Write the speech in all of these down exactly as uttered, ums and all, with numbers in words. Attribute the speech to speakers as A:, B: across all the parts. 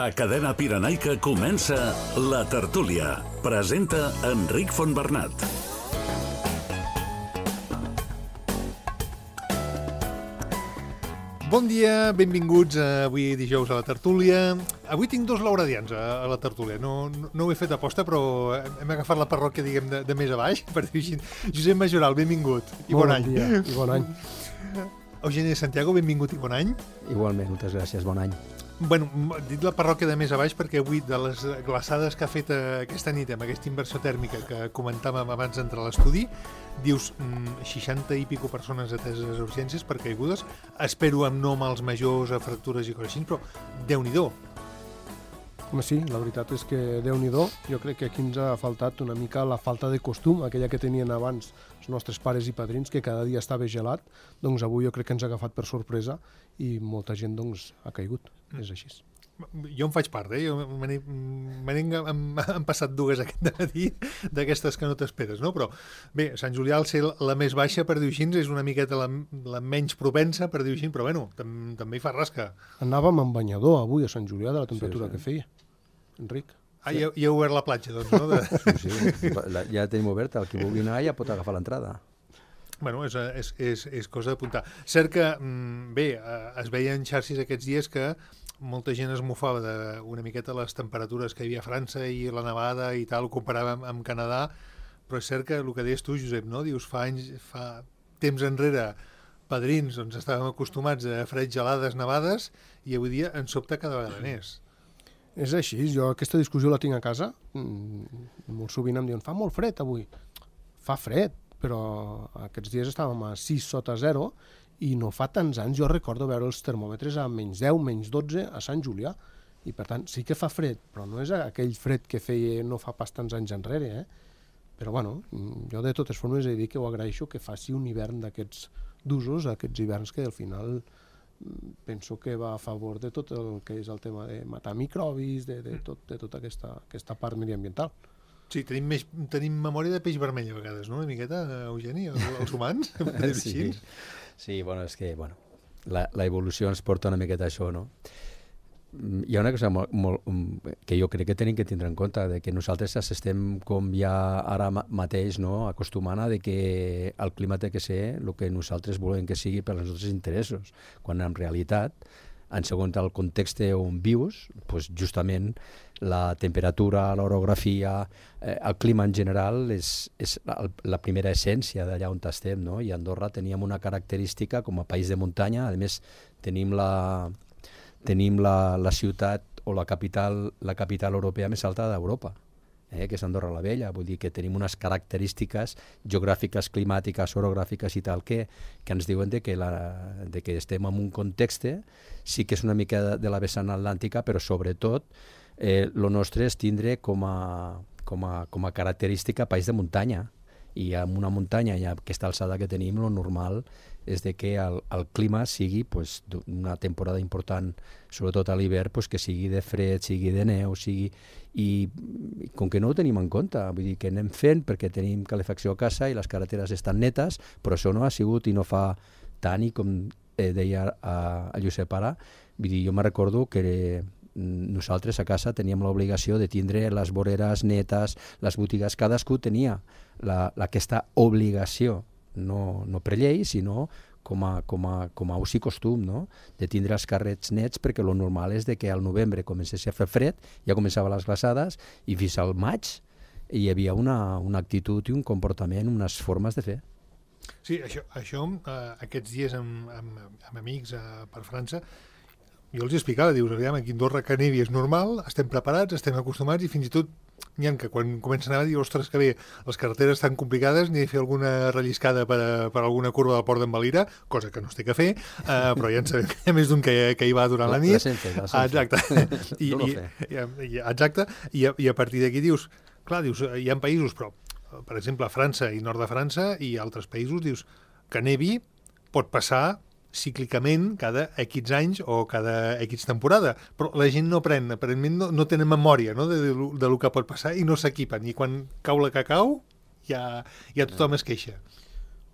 A: A Cadena Pirenaica comença La Tertúlia. Presenta Enric Fontbernat.
B: Bon dia, benvinguts avui dijous a La Tertúlia. Avui tinc dos lauradians a, a La Tertúlia. No, no, no ho he fet aposta, però hem agafat la parròquia, diguem, de, de més a baix, per dir així. Josep Majoral, benvingut i bon, bon any.
C: Dia, i bon any.
B: Eugeni Santiago, benvingut i bon any.
C: Igualment, moltes gràcies, bon any.
B: Bueno, dit la parròquia de més a baix perquè avui, de les glaçades que ha fet aquesta nit amb aquesta inversió tèrmica que comentàvem abans d'entrar a l'estudi, dius seixanta i pico persones ateses a urgències per caigudes. Espero amb no mals majors, a fractures i coses així, però Déu-n'hi-do.
C: Home, sí, la veritat és que Déu-n'hi-do. Jo crec que aquí ens ha faltat una mica la falta de costum, aquella que tenien abans els nostres pares i padrins, que cada dia estava gelat. Doncs avui jo crec que ens ha agafat per sorpresa i molta gent doncs, ha caigut. Mm. És així.
B: Jo en faig part, eh? Jo m'han passat dues aquest matí d'aquestes que no t'esperes, no? Però bé, Sant Julià, al ser la més baixa, per dir-ho així, és una miqueta la, la menys propensa, per dir-ho així, però bueno, tam també hi fa rasca.
C: Anàvem amb banyador avui a Sant Julià, de la temperatura sí, sí. que feia, Enric.
B: Ah, ja, ja heu obert la platja, doncs, no? De...
D: Sí, sí, la, ja tenim oberta, el que vulgui anar ja pot agafar l'entrada.
B: Bueno, és, és, és, és cosa d'apuntar. Cert que, bé, es veia en xarxes aquests dies que molta gent es mofava d'una miqueta les temperatures que hi havia a França i la nevada i tal, ho comparava amb, amb Canadà, però és cert que el que deies tu, Josep, no? Dius, fa anys, fa temps enrere, padrins, doncs estàvem acostumats a fred, gelades, nevades, i avui dia ens sobta cada vegada més.
C: És així, jo aquesta discussió la tinc a casa, molt sovint em diuen, fa molt fred avui. Fa fred, però aquests dies estàvem a sis sota zero, i no fa tants anys jo recordo veure els termòmetres a menys deu, menys dotze a Sant Julià, i per tant sí que fa fred, però no és aquell fred que feia no fa pas tants anys enrere, eh? Però bueno, jo de totes formes he de dir que ho agraeixo que faci un hivern d'aquests d'usos, aquests hiverns que al final penso que va a favor de tot el que és el tema de matar microbis, de, de, tot, de tota aquesta, aquesta part mediambiental.
B: Sí, tenim, més, tenim memòria de peix vermell a vegades, no? Una miqueta, Eugeni, els humans?
D: Sí, sí, bueno, és que bueno, la, la evolució ens porta una miqueta a això, no? Hi ha una cosa molt, molt, que jo crec que tenim que tindre en compte, de que nosaltres estem com ja ara mateix, no?, acostumant a de que el clima té que ser el que nosaltres volem que sigui per als nostres interessos, quan en realitat, en segons el context on vius, pues justament la temperatura, l'orografia, eh, el clima en general és, és la, la primera essència d'allà on estem, no? I a Andorra teníem una característica com a país de muntanya, a més tenim la, tenim la, la ciutat o la capital, la capital europea més alta d'Europa, eh, que és Andorra la Vella. Vull dir que tenim unes característiques geogràfiques, climàtiques, orogràfiques i tal que, que ens diuen de que, la, de que estem en un context, sí que és una mica de, de la vessant atlàntica, però sobretot eh, lo nostre és tindre com a, com a, com a característica país de muntanya. I amb una muntanya i aquesta alçada que tenim, lo normal és de que el, el clima sigui pues, una temporada important, sobretot a l'hivern, pues, que sigui de fred, sigui de neu, sigui... I, i com que no ho tenim en compte, vull dir que anem fent perquè tenim calefacció a casa i les carreteres estan netes, però això no ha sigut i no fa tant, i com eh, deia a, a Josep ara, vull dir, jo me recordo que nosaltres a casa teníem l'obligació de tindre les voreres netes, les botigues, cadascú tenia la, la, aquesta obligació, no, no per llei, sinó com a, com a, com a ús i costum, no? De tindre els carrets nets, perquè el normal és de que al novembre comencés a fer fred, ja començava les glaçades, i fins al maig hi havia una, una actitud i un comportament, unes formes de fer.
B: Sí, això, això eh, aquests dies amb, amb, amb amics eh, per França, jo els explicava, dius, aviam, aquí a Andorra que nevi és normal, estem preparats, estem acostumats, i fins i tot n'hi ha que quan comencen a dir, ostres, que bé, les carreteres estan complicades, n'hi he de fer alguna relliscada per, a, per alguna curva del port d'en Valira, cosa que no es té que fer, uh, però ja en sabem que hi ha més d'un que, que hi va durant la, la nit.
D: La sent fet, la sent
B: exacte. I, i, i, exacte. I, i a partir d'aquí dius, clar, dius, hi ha països, però, per exemple, França i nord de França i altres països, dius, que nevi pot passar cíclicament cada X anys o cada X temporada, però la gent no pren, aparentment no, no tenen memòria, no?, de, de, de lo que pot passar i no s'equipen, i quan cau la que cau ja, ja tothom es queixa.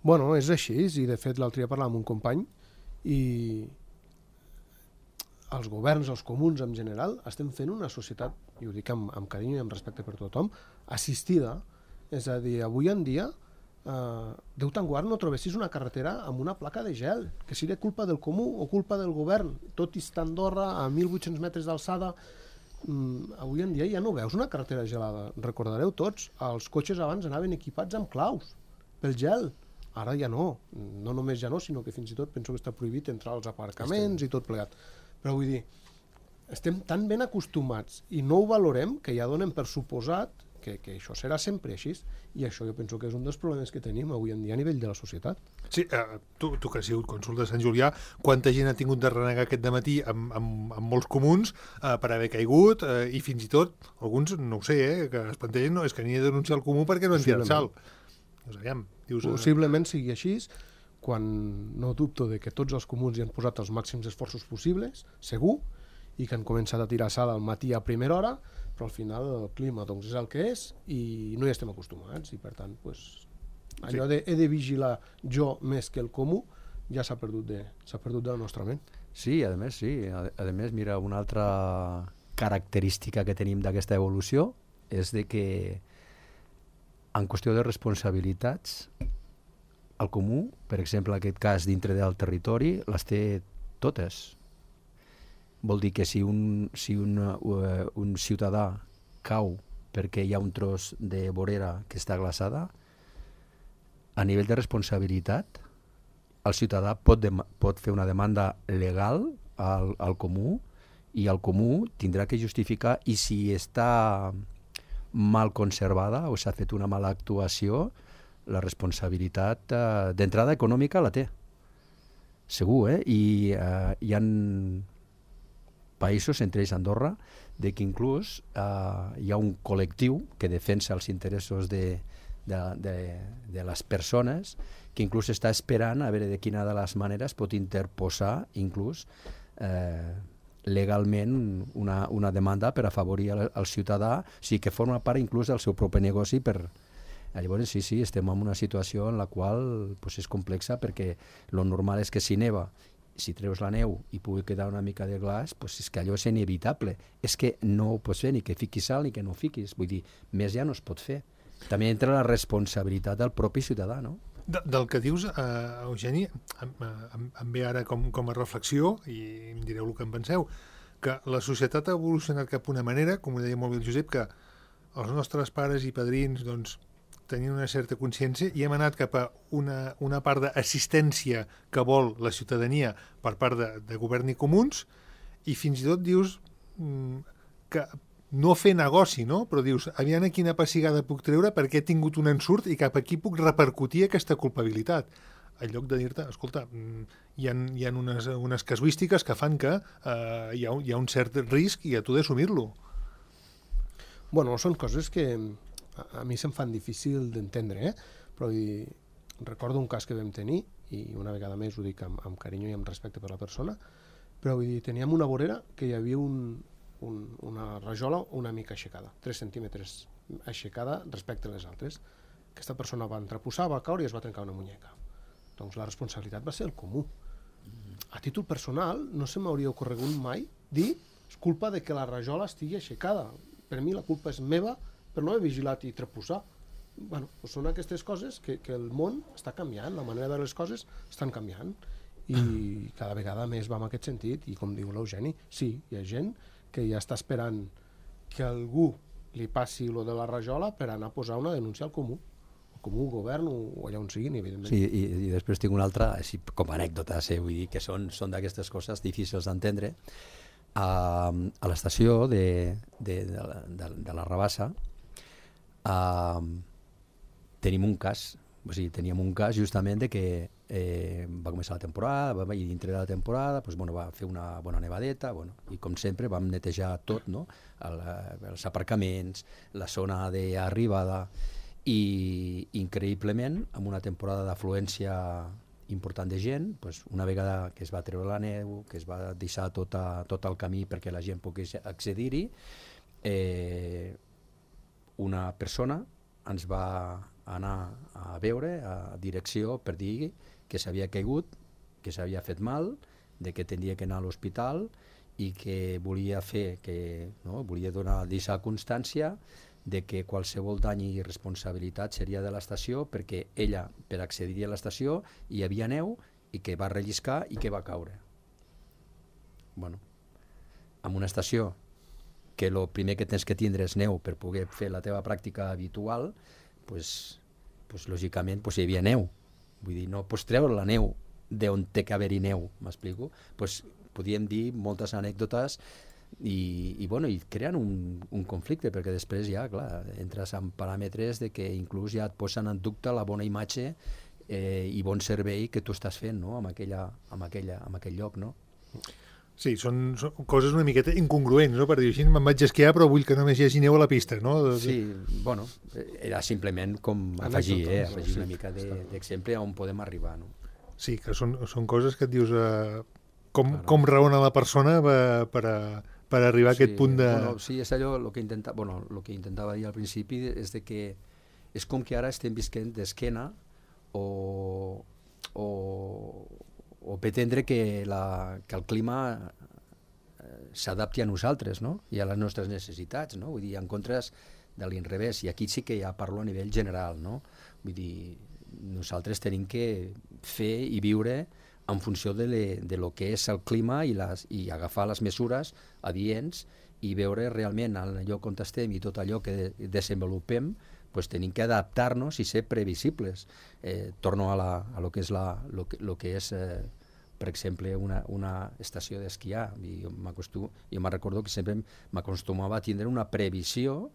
C: Bueno, és així, i de fet l'altre dia parlàvem amb un company i els governs, els comuns en general, estem fent una societat, i ho dic amb, amb carinyo i amb respecte per tothom, assistida. És a dir, avui en dia, eh, Déu te'n guard, no trobessis una carretera amb una placa de gel, que sigui culpa del comú o culpa del govern, tot i estar a Andorra a mil vuit-cents metres d'alçada. Mm, avui en dia ja no veus una carretera gelada. Recordareu tots, els cotxes abans anaven equipats amb claus pel gel. Ara ja no, no només ja no, sinó que fins i tot penso que està prohibit entrar als aparcaments Estem. i tot plegat. Però vull dir, estem tan ben acostumats i no ho valorem que ja donem per suposat que, que això serà sempre així, i això jo penso que és un dels problemes que tenim avui en dia a nivell de la societat.
B: Sí, eh, tu, tu que has sigut cònsol de Sant Julià, quanta gent ha tingut de renegar aquest dematí amb, amb, amb molts comuns eh, per haver caigut, eh, i fins i tot, alguns, no ho sé, eh, que es plantegen, no, és que n'hi ha de denunciar el comú perquè no han tirat sal. Doncs aviam, dius,
C: possiblement sigui així, quan no dubto de que tots els comuns hi han posat els màxims esforços possibles, segur, i que han començat a tirar sal al matí a primera hora, però al final el clima doncs, és el que és i no hi estem acostumats, i per tant pues, allò sí. de he de vigilar jo més que el comú ja s'ha perdut, de, s'ha perdut de la nostra ment.
D: Sí, a més, sí. A, a més, mira, una altra característica que tenim d'aquesta evolució és de que en qüestió de responsabilitats el comú, per exemple, en aquest cas dintre del territori, les té totes. Vol dir que si un, si un, uh, un ciutadà cau perquè hi ha un tros de vorera que està glaçada, a nivell de responsabilitat, el ciutadà pot, pot fer una demanda legal al, al comú, i el comú tindrà que justificar, i si està mal conservada o s'ha fet una mala actuació, la responsabilitat eh, d'entrada econòmica la té. Segur, eh? I eh, hi ha països, entre ells Andorra, de que inclús eh, hi ha un col·lectiu que defensa els interessos de, de, de, de les persones, que inclús està esperant a veure de quina de les maneres pot interposar inclús eh, legalment una, una demanda per afavorir el, el ciutadà, o sigui, que forma part inclús del seu propi negoci. Per llavors sí, sí, estem en una situació en la qual pues, és complexa, perquè lo normal és que si neva, si treus la neu i pugui quedar una mica de glaç, pues és que allò és inevitable. És que no ho pots fer, ni que fiquis sal ni que no fiquis. Vull dir, més ja no es pot fer. També entra la responsabilitat del propi ciutadà, no?
B: De, del que dius, eh, Eugeni, em, em, em ve ara com, com a reflexió, i em direu el que en penseu, que la societat ha evolucionat cap a una manera, com ho deia molt bé el Josep, que els nostres pares i padrins doncs, tenien una certa consciència i hem anat cap a una, una part d'assistència que vol la ciutadania per part de, de govern i comuns, i fins i tot dius mm, que no fer negoci, no? Però dius, aviam a quina pessigada puc treure perquè he tingut un ensurt i cap aquí puc repercutir aquesta culpabilitat. En lloc de dir-te, escolta, hi ha, hi ha unes, unes casuístiques que fan que eh, hi, ha, hi ha un cert risc i a tu d'assumir-lo.
C: Bueno, són coses que a, a mi se'm fan difícil d'entendre, eh? Però dir, recordo un cas que vam tenir, i una vegada més ho dic amb, amb carinyo i amb respecte per la persona, però vull dir, teníem una vorera que hi havia un, un, una rajola una mica aixecada, tres centímetres aixecada respecte a les altres. Aquesta persona va entreposar, va caure i es va trencar una muñeca. Doncs la responsabilitat va ser el comú. A títol personal no se m'hauria ocorregut mai dir és culpa de que la rajola estigui aixecada. Per mi la culpa és meva per no haver vigilat i treposar. Bueno, doncs són aquestes coses que, que el món està canviant, la manera de veure les coses estan canviant, i cada vegada més va en aquest sentit, i com diu l'Eugeni, sí, hi ha gent que ja està esperant que algú li passi lo de la rajola per anar a posar una denúncia al comú, al comú, govern o, o allà on siguin, evidentment.
D: Sí, i, i després tinc una altra, així, com a anècdota, sí, vull dir que són, són d'aquestes coses difícils d'entendre. A, a l'estació de, de, de, de, de la Rabassa a, tenim un cas, o sigui, teníem un cas justament de que eh, va començar la temporada, va, i dintre de la temporada pues, bueno, va fer una bona nevadeta, bueno, i com sempre vam netejar tot, no? El, els aparcaments, la zona d'arribada, i increïblement, amb una temporada d'afluència important de gent, pues, una vegada que es va treure la neu, que es va deixar tot, a, tot el camí perquè la gent pogués accedir-hi, eh, una persona ens va anar a veure a direcció per dir que s'havia caigut, que s'havia fet mal, de que tenia que anar a l'hospital, i que volia fer, que no, volia donar deixar constància de que qualsevol dany i responsabilitat seria de l'estació, perquè ella, per accedir a l'estació, hi havia neu i que va relliscar i que va caure. Bueno, en una estació que el primer que tens que tindre és neu per poder fer la teva pràctica habitual, pues, pues, lògicament pues, hi havia neu. Vull dir, no pots treure la neu d'on té que haver-hi neu, m'explico? Pues, podríem dir moltes anècdotes i, i, bueno, i creen un, un conflicte, perquè després ja, clar, entres en paràmetres de que inclús ja et posen en dubte la bona imatge eh, i bon servei que tu estàs fent, no?, en, aquella, en, aquella, en aquell lloc, no?
B: Sí, són, són coses una miqueta incongruents, no?, per dir així, me'n vaig esquiar però vull que només hi hagi neu a la pista, no?
D: Sí, bueno, era simplement com afegir, eh, afegir una mica d'exemple on podem arribar, no?
B: Sí, que són, són coses que et dius eh, com, claro. com raona la persona per, per, a, per arribar a
D: sí,
B: aquest punt de...
D: Bueno, sí, és allò, el que, intenta, bueno, lo que intentava dir al principi és de que és com que ara estem visquent d'esquena o, o, o pretendre que, la, que el clima eh, s'adapti a nosaltres, no?, i a les nostres necessitats, no? Vull dir, en contra de l'inrevés, i aquí sí que ja parlo a nivell general, no? Vull dir, nosaltres tenim que fer i viure en funció de, le, de lo que és el clima i, les, i agafar les mesures adients i veure realment en allò on estem i tot allò que desenvolupem, pues tenim que adaptar-nos i ser previsibles. Eh, torno a, la, a lo que és, la, lo que, lo que és eh, per exemple, una, una estació d'esquiar. Jo me'n recordo que sempre m'acostumava a tindre una previsió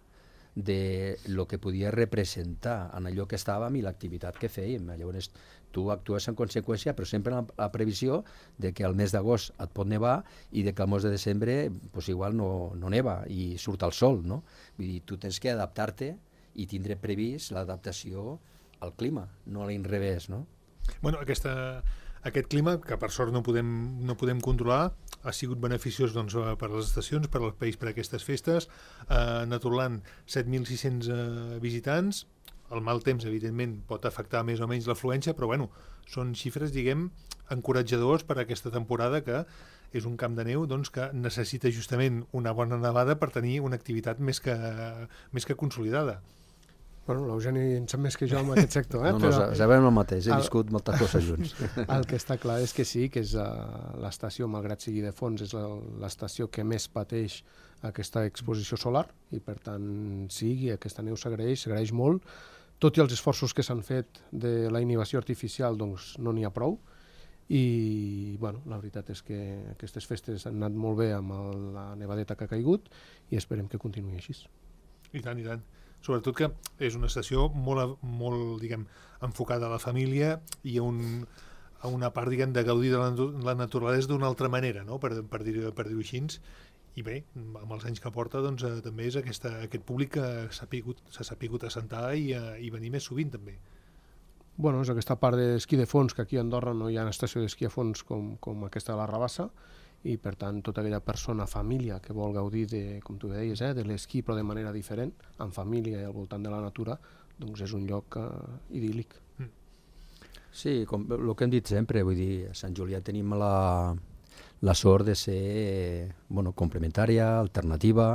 D: de lo que podia representar en allò que estàvem i l'activitat que fèiem. Llavors, tu actues en conseqüència, però sempre la, la previsió de que al mes d'agost et pot nevar i de que al mes de desembre pues, igual no, no neva i surt el sol, no? Vull dir, tu tens que adaptar-te i tindre previst l'adaptació al clima, no a l'inrevés, no?
B: Bueno, aquesta... Aquest clima, que per sort no podem, no podem controlar, ha sigut beneficiós doncs, per a les estacions, per al país, per a aquestes festes. A Naturland, set mil sis-cents eh, visitants. El mal temps, evidentment, pot afectar més o menys l'afluència, però bueno, són xifres, diguem, encoratjadors per a aquesta temporada, que és un camp de neu doncs, que necessita justament una bona nevada per tenir una activitat més que, més que consolidada.
C: Bueno, l'Eugeni en sap més que jo en aquest sector, eh?
D: No, no, però... sabem el mateix, he viscut moltes coses junts.
C: El que està clar és que sí, que és uh, l'estació, malgrat sigui de fons, és l'estació que més pateix aquesta exposició solar, i per tant sí, aquesta neu s'agraeix, s'agraeix molt. Tot i els esforços que s'han fet de la inhibició artificial, doncs no n'hi ha prou, i bueno, la veritat és que aquestes festes han anat molt bé amb el, la nevadeta que ha caigut i esperem que continuï així.
B: I tant, i tant. Sobretot que és una estació molt, molt diguem, enfocada a la família i a, un, a una part diguem, de gaudir de la, la naturalesa d'una altra manera, no? per, per dir-ho per dir així. I bé, amb els anys que porta doncs, eh, també és aquesta, aquest públic que s'ha sapigut, sapigut assentar i, eh, i venir més sovint també.
C: Bueno, és aquesta part d'esquí de fons, que aquí a Andorra no hi ha estació d'esquí a fons com, com aquesta de la Rabassa, i per tant tota aquella persona, família, que vol gaudir de, com tu deies, eh, de l'esquí però de manera diferent, en família i al voltant de la natura, doncs és un lloc eh, idíl·lic. Mm.
D: Sí, com el que hem dit sempre, vull dir, a Sant Julià tenim la, la sort de ser bueno, complementària, alternativa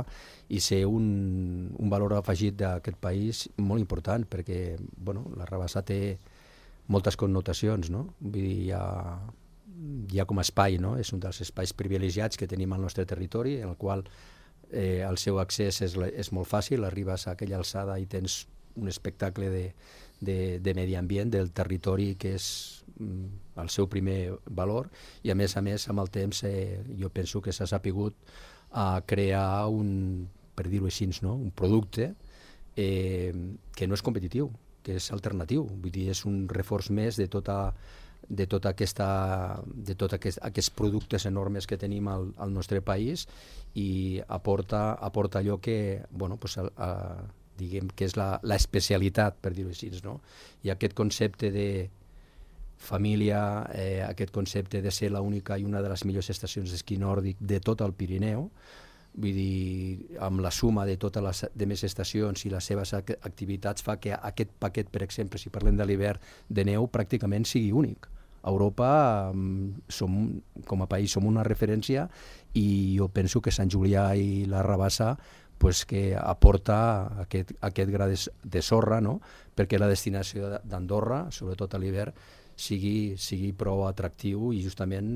D: i ser un, un valor afegit d'aquest país molt important, perquè bueno, la Rabassa té moltes connotacions, no? Vull dir, hi ha ja com a espai, no? És un dels espais privilegiats que tenim al nostre territori, en el qual eh, el seu accés és, és molt fàcil, arribes a aquella alçada i tens un espectacle de, de, de medi ambient del territori que és mm, el seu primer valor, i a més a més amb el temps eh, jo penso que s'ha sapigut a crear un, per dir-ho així, no? Un producte eh, que no és competitiu, que és alternatiu, vull dir, és un reforç més de tota de tota aquesta de tots aquest, aquests productes enormes que tenim al, al nostre país, i aporta, aporta allò que, bueno, pues, a, a, diguem que és la, la especialitat, per dir-ho així, no? I aquest concepte de família, eh, aquest concepte de ser l'única i una de les millors estacions d'esquí nòrdic de tot el Pirineu, vull dir, amb la suma de totes les demés estacions i les seves activitats fa que aquest paquet, per exemple, si parlem de l'hivern de neu, pràcticament sigui únic Europa som, com a país som una referència i jo penso que Sant Julià i la Rabassa pues, que aporta aquest, aquest gra de, de sorra, no? Perquè la destinació d'Andorra, sobretot a l'hivern, sigui, sigui prou atractiu i justament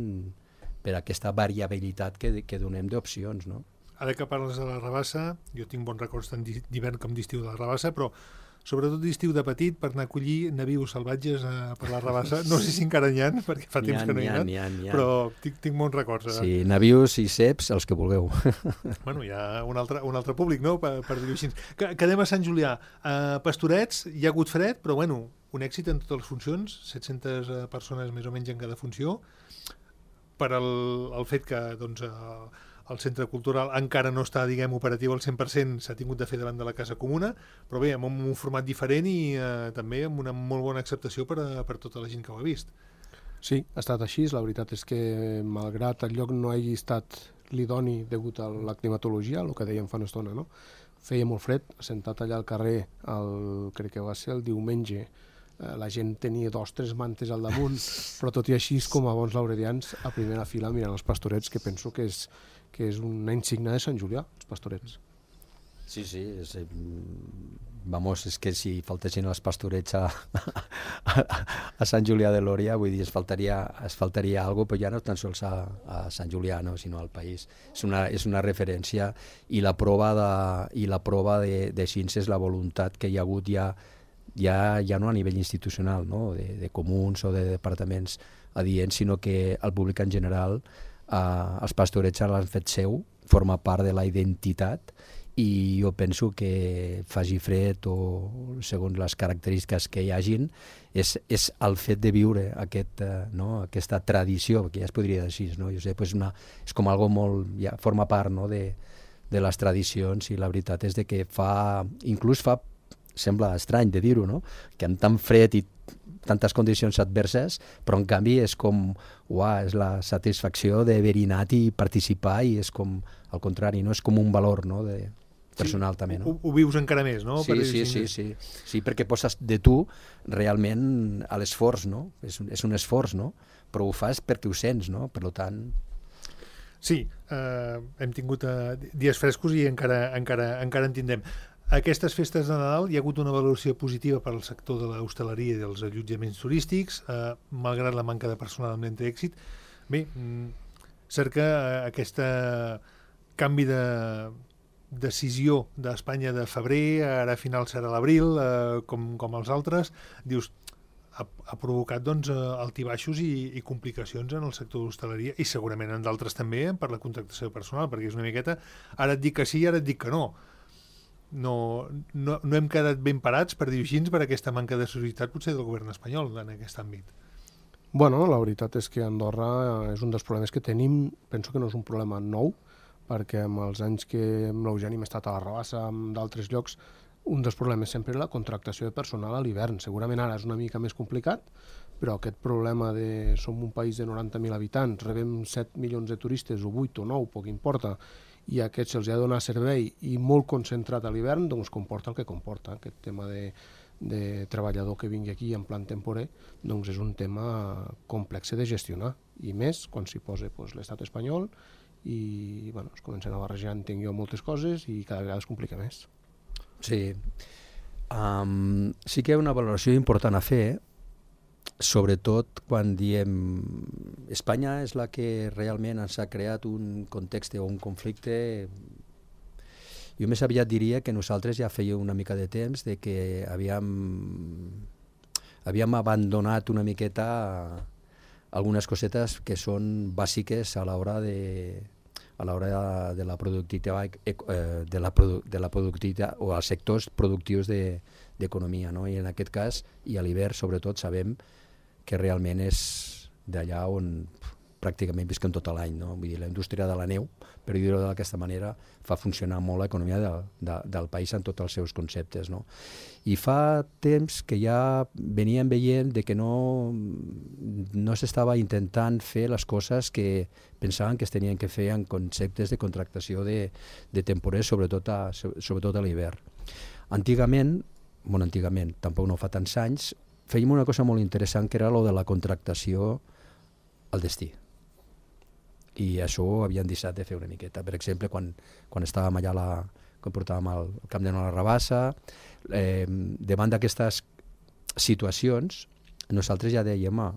D: per aquesta variabilitat que, que donem d'opcions, no?
B: Ara que parles de la Rabassa, jo tinc bons records tant d'hivern com d'estiu de la Rabassa, però sobretot d'estiu de petit per anar a collir navius salvatges eh, per la Rabassa. No sé si encara n'hi ha, perquè fa temps que no hi ha,
D: ha, ha,
B: però tinc, tinc bons records. Eh?
D: Sí, navius i ceps, els que vulgueu.
B: Bueno, hi ha un altre, un altre públic, no?, per, per dir-ho així. Quedem a Sant Julià. Uh, Pastorets, hi ha hagut fred, però bueno, un èxit en totes les funcions, set-centes persones més o menys en cada funció, per el, el fet que doncs, el centre cultural encara no està, diguem, operatiu al cent per cent, s'ha tingut de fer davant de la Casa Comuna, però bé, amb un format diferent i eh, també amb una molt bona acceptació per, a, per tota la gent que ho ha vist.
C: Sí, ha estat així. La veritat és que, malgrat el lloc no hagi estat l'idoni degut a la climatologia, el que dèiem fa una estona, no? Feia molt fred, sentat allà al carrer, el, crec que va ser el diumenge, la gent tenia dos, tres mantes al damunt, però tot i així, com a bons lauredians, a primera fila mirant els Pastorets, que penso que és, que és una insignia de Sant Julià, els Pastorets.
D: Sí, sí, és, eh, vamos, és que si faltessin els Pastorets a, a, a Sant Julià de Lòria, vull dir, es faltaria, es faltaria alguna cosa, però ja no tan sols a, a Sant Julià, no, sinó al país. És una, és una referència i la prova de, i la prova de, de Xins és la voluntat que hi ha hagut ja Ja, ja no a nivell institucional, no? de, de comuns o de departaments adients, sinó que el públic en general, eh, els Pastorets l'han fet seu, forma part de la identitat, i jo penso que faci fred o segons les característiques que hi hagin, és, és el fet de viure aquest, eh, no? aquesta tradició, que ja es podria dir així, no? Jo sé, pues una, és com algo molt, ja forma part, no? de, de les tradicions, i la veritat és de que fa, inclús fa sembla estrany de dir-ho, no? Que amb tant fred i tantes condicions adverses, però en canvi és com, uah, és la satisfacció d'haver-hi anat i participar, i és com, al contrari, no? És com un valor, no? De, personal, sí, també, no?
B: Ho, ho vius encara més, no?
D: Sí, sí, sí, sí, sí, perquè poses de tu realment a l'esforç, no? És, és un esforç, no? Però ho fas perquè ho sents, no? Per tant...
B: Sí, eh, hem tingut eh, dies frescos i encara, encara, encara en tindrem. Aquestes festes de Nadal hi ha hagut una valoració positiva per al sector de l'hostaleria i dels allotjaments turístics, eh, malgrat la manca de personal amb lent èxit. Bé, cerca eh, aquest canvi de decisió d'Espanya de febrer, ara a final serà l'abril, eh, com, com els altres, dius, ha, ha provocat doncs, altibaixos i, i complicacions en el sector d'hostaleria, i segurament en d'altres també per la contractació personal, perquè és una miqueta, ara et dic que sí, ara et dic que no. No, no, no hem quedat ben parats, per dir-ho així, per aquesta manca de seriositat potser del govern espanyol en aquest àmbit.
C: Bueno, la veritat és que Andorra és un dels problemes que tenim. Penso que no és un problema nou, perquè amb els anys que amb l'Eugeni hem estat a la Rabassa, amb d'altres llocs, un dels problemes sempre és la contractació de personal a l'hivern. Segurament ara és una mica més complicat, però aquest problema de som un país de noranta mil habitants, rebem set milions de turistes, o vuit o nou, poc importa, i a aquests se'ls ha de donar servei i molt concentrat a l'hivern, doncs comporta el que comporta. Aquest tema de, de treballador que vingui aquí en plan temporer, doncs és un tema complex de gestionar, i més quan s'hi posa doncs, l'estat espanyol, i bueno, es comencen a barrejar, entenc jo, moltes coses, i cada vegada es complica més.
D: Sí, um, sí que hi ha una valoració important a fer, sobretot quan diem Espanya és la que realment ens ha creat un context o un conflicte. Jo més aviat diria que nosaltres ja feia una mica de temps de que havíem, havíem abandonat una miqueta algunes cosetes que són bàsiques a l'hora de a l'hora de la productivitat de la, produ de la productivitat o als sectors productius d'economia, no? I en aquest cas, i a l'hivern sobretot, sabem que realment és d'allà on pràcticament visquem tot l'any, no? Vull dir, la indústria de la neu, per dir-ho d'aquesta manera, fa funcionar molt l'economia de, de, del país en tots els seus conceptes, no? I fa temps que ja veníem veient de que no, no s'estava intentant fer les coses que pensaven que es tenien que fer en conceptes de contractació de, de temporers, sobretot a, sobretot a l'hivern. Antigament, bueno, antigament, tampoc no fa tants anys, fèiem una cosa molt interessant, que era lo de la contractació al destí. I això ho havien deixat de fer una miqueta. Per exemple, quan, quan estàvem allà, la, quan portàvem al Camp de la Rabassa, eh, davant d'aquestes situacions, nosaltres ja dèiem, ah,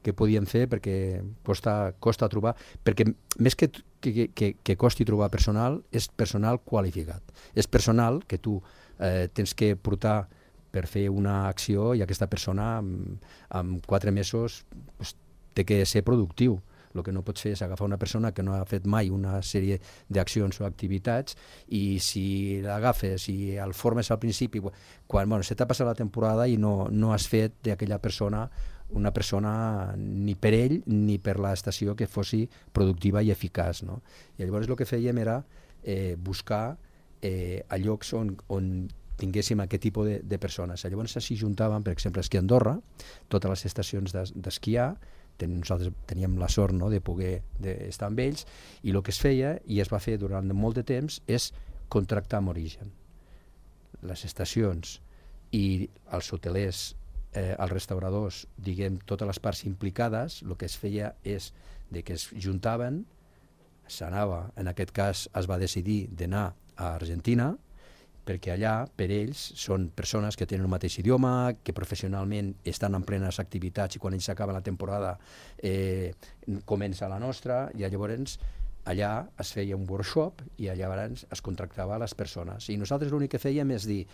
D: què podíem fer perquè costa, costa trobar, perquè més que, que, que, que costi trobar personal, és personal qualificat. És personal que tu eh, tens que portar per fer una acció i aquesta persona en, en quatre mesos pues, té que ser productiu. El que no pots fer és agafar una persona que no ha fet mai una sèrie d'accions o activitats i si l'agafes i el formes al principi, quan bueno, se t'ha passat la temporada i no, no has fet d'aquella persona una persona ni per ell ni per l'estació que fossi productiva i eficaç. No? I llavors el que fèiem era eh, buscar eh, a llocs on, on tinguéssim aquest tipus de, de persones. Llavors s'hi juntaven, per exemple, Esquí Andorra, totes les estacions d'esquiar, nosaltres teníem la sort, no?, de poder de estar amb ells, i el que es feia, i es va fer durant molt de temps, és contractar amb origen. Les estacions i els hotelers, eh, els restauradors, diguem, totes les parts implicades, el que es feia és de que es juntaven, s'anava, en aquest cas es va decidir d'anar a Argentina, perquè allà, per ells, són persones que tenen el mateix idioma, que professionalment estan en plenes activitats i quan ells s'acaba la temporada eh, comença la nostra, i llavors allà es feia un workshop i llavors es contractava a les persones. I nosaltres l'únic que fèiem és dir,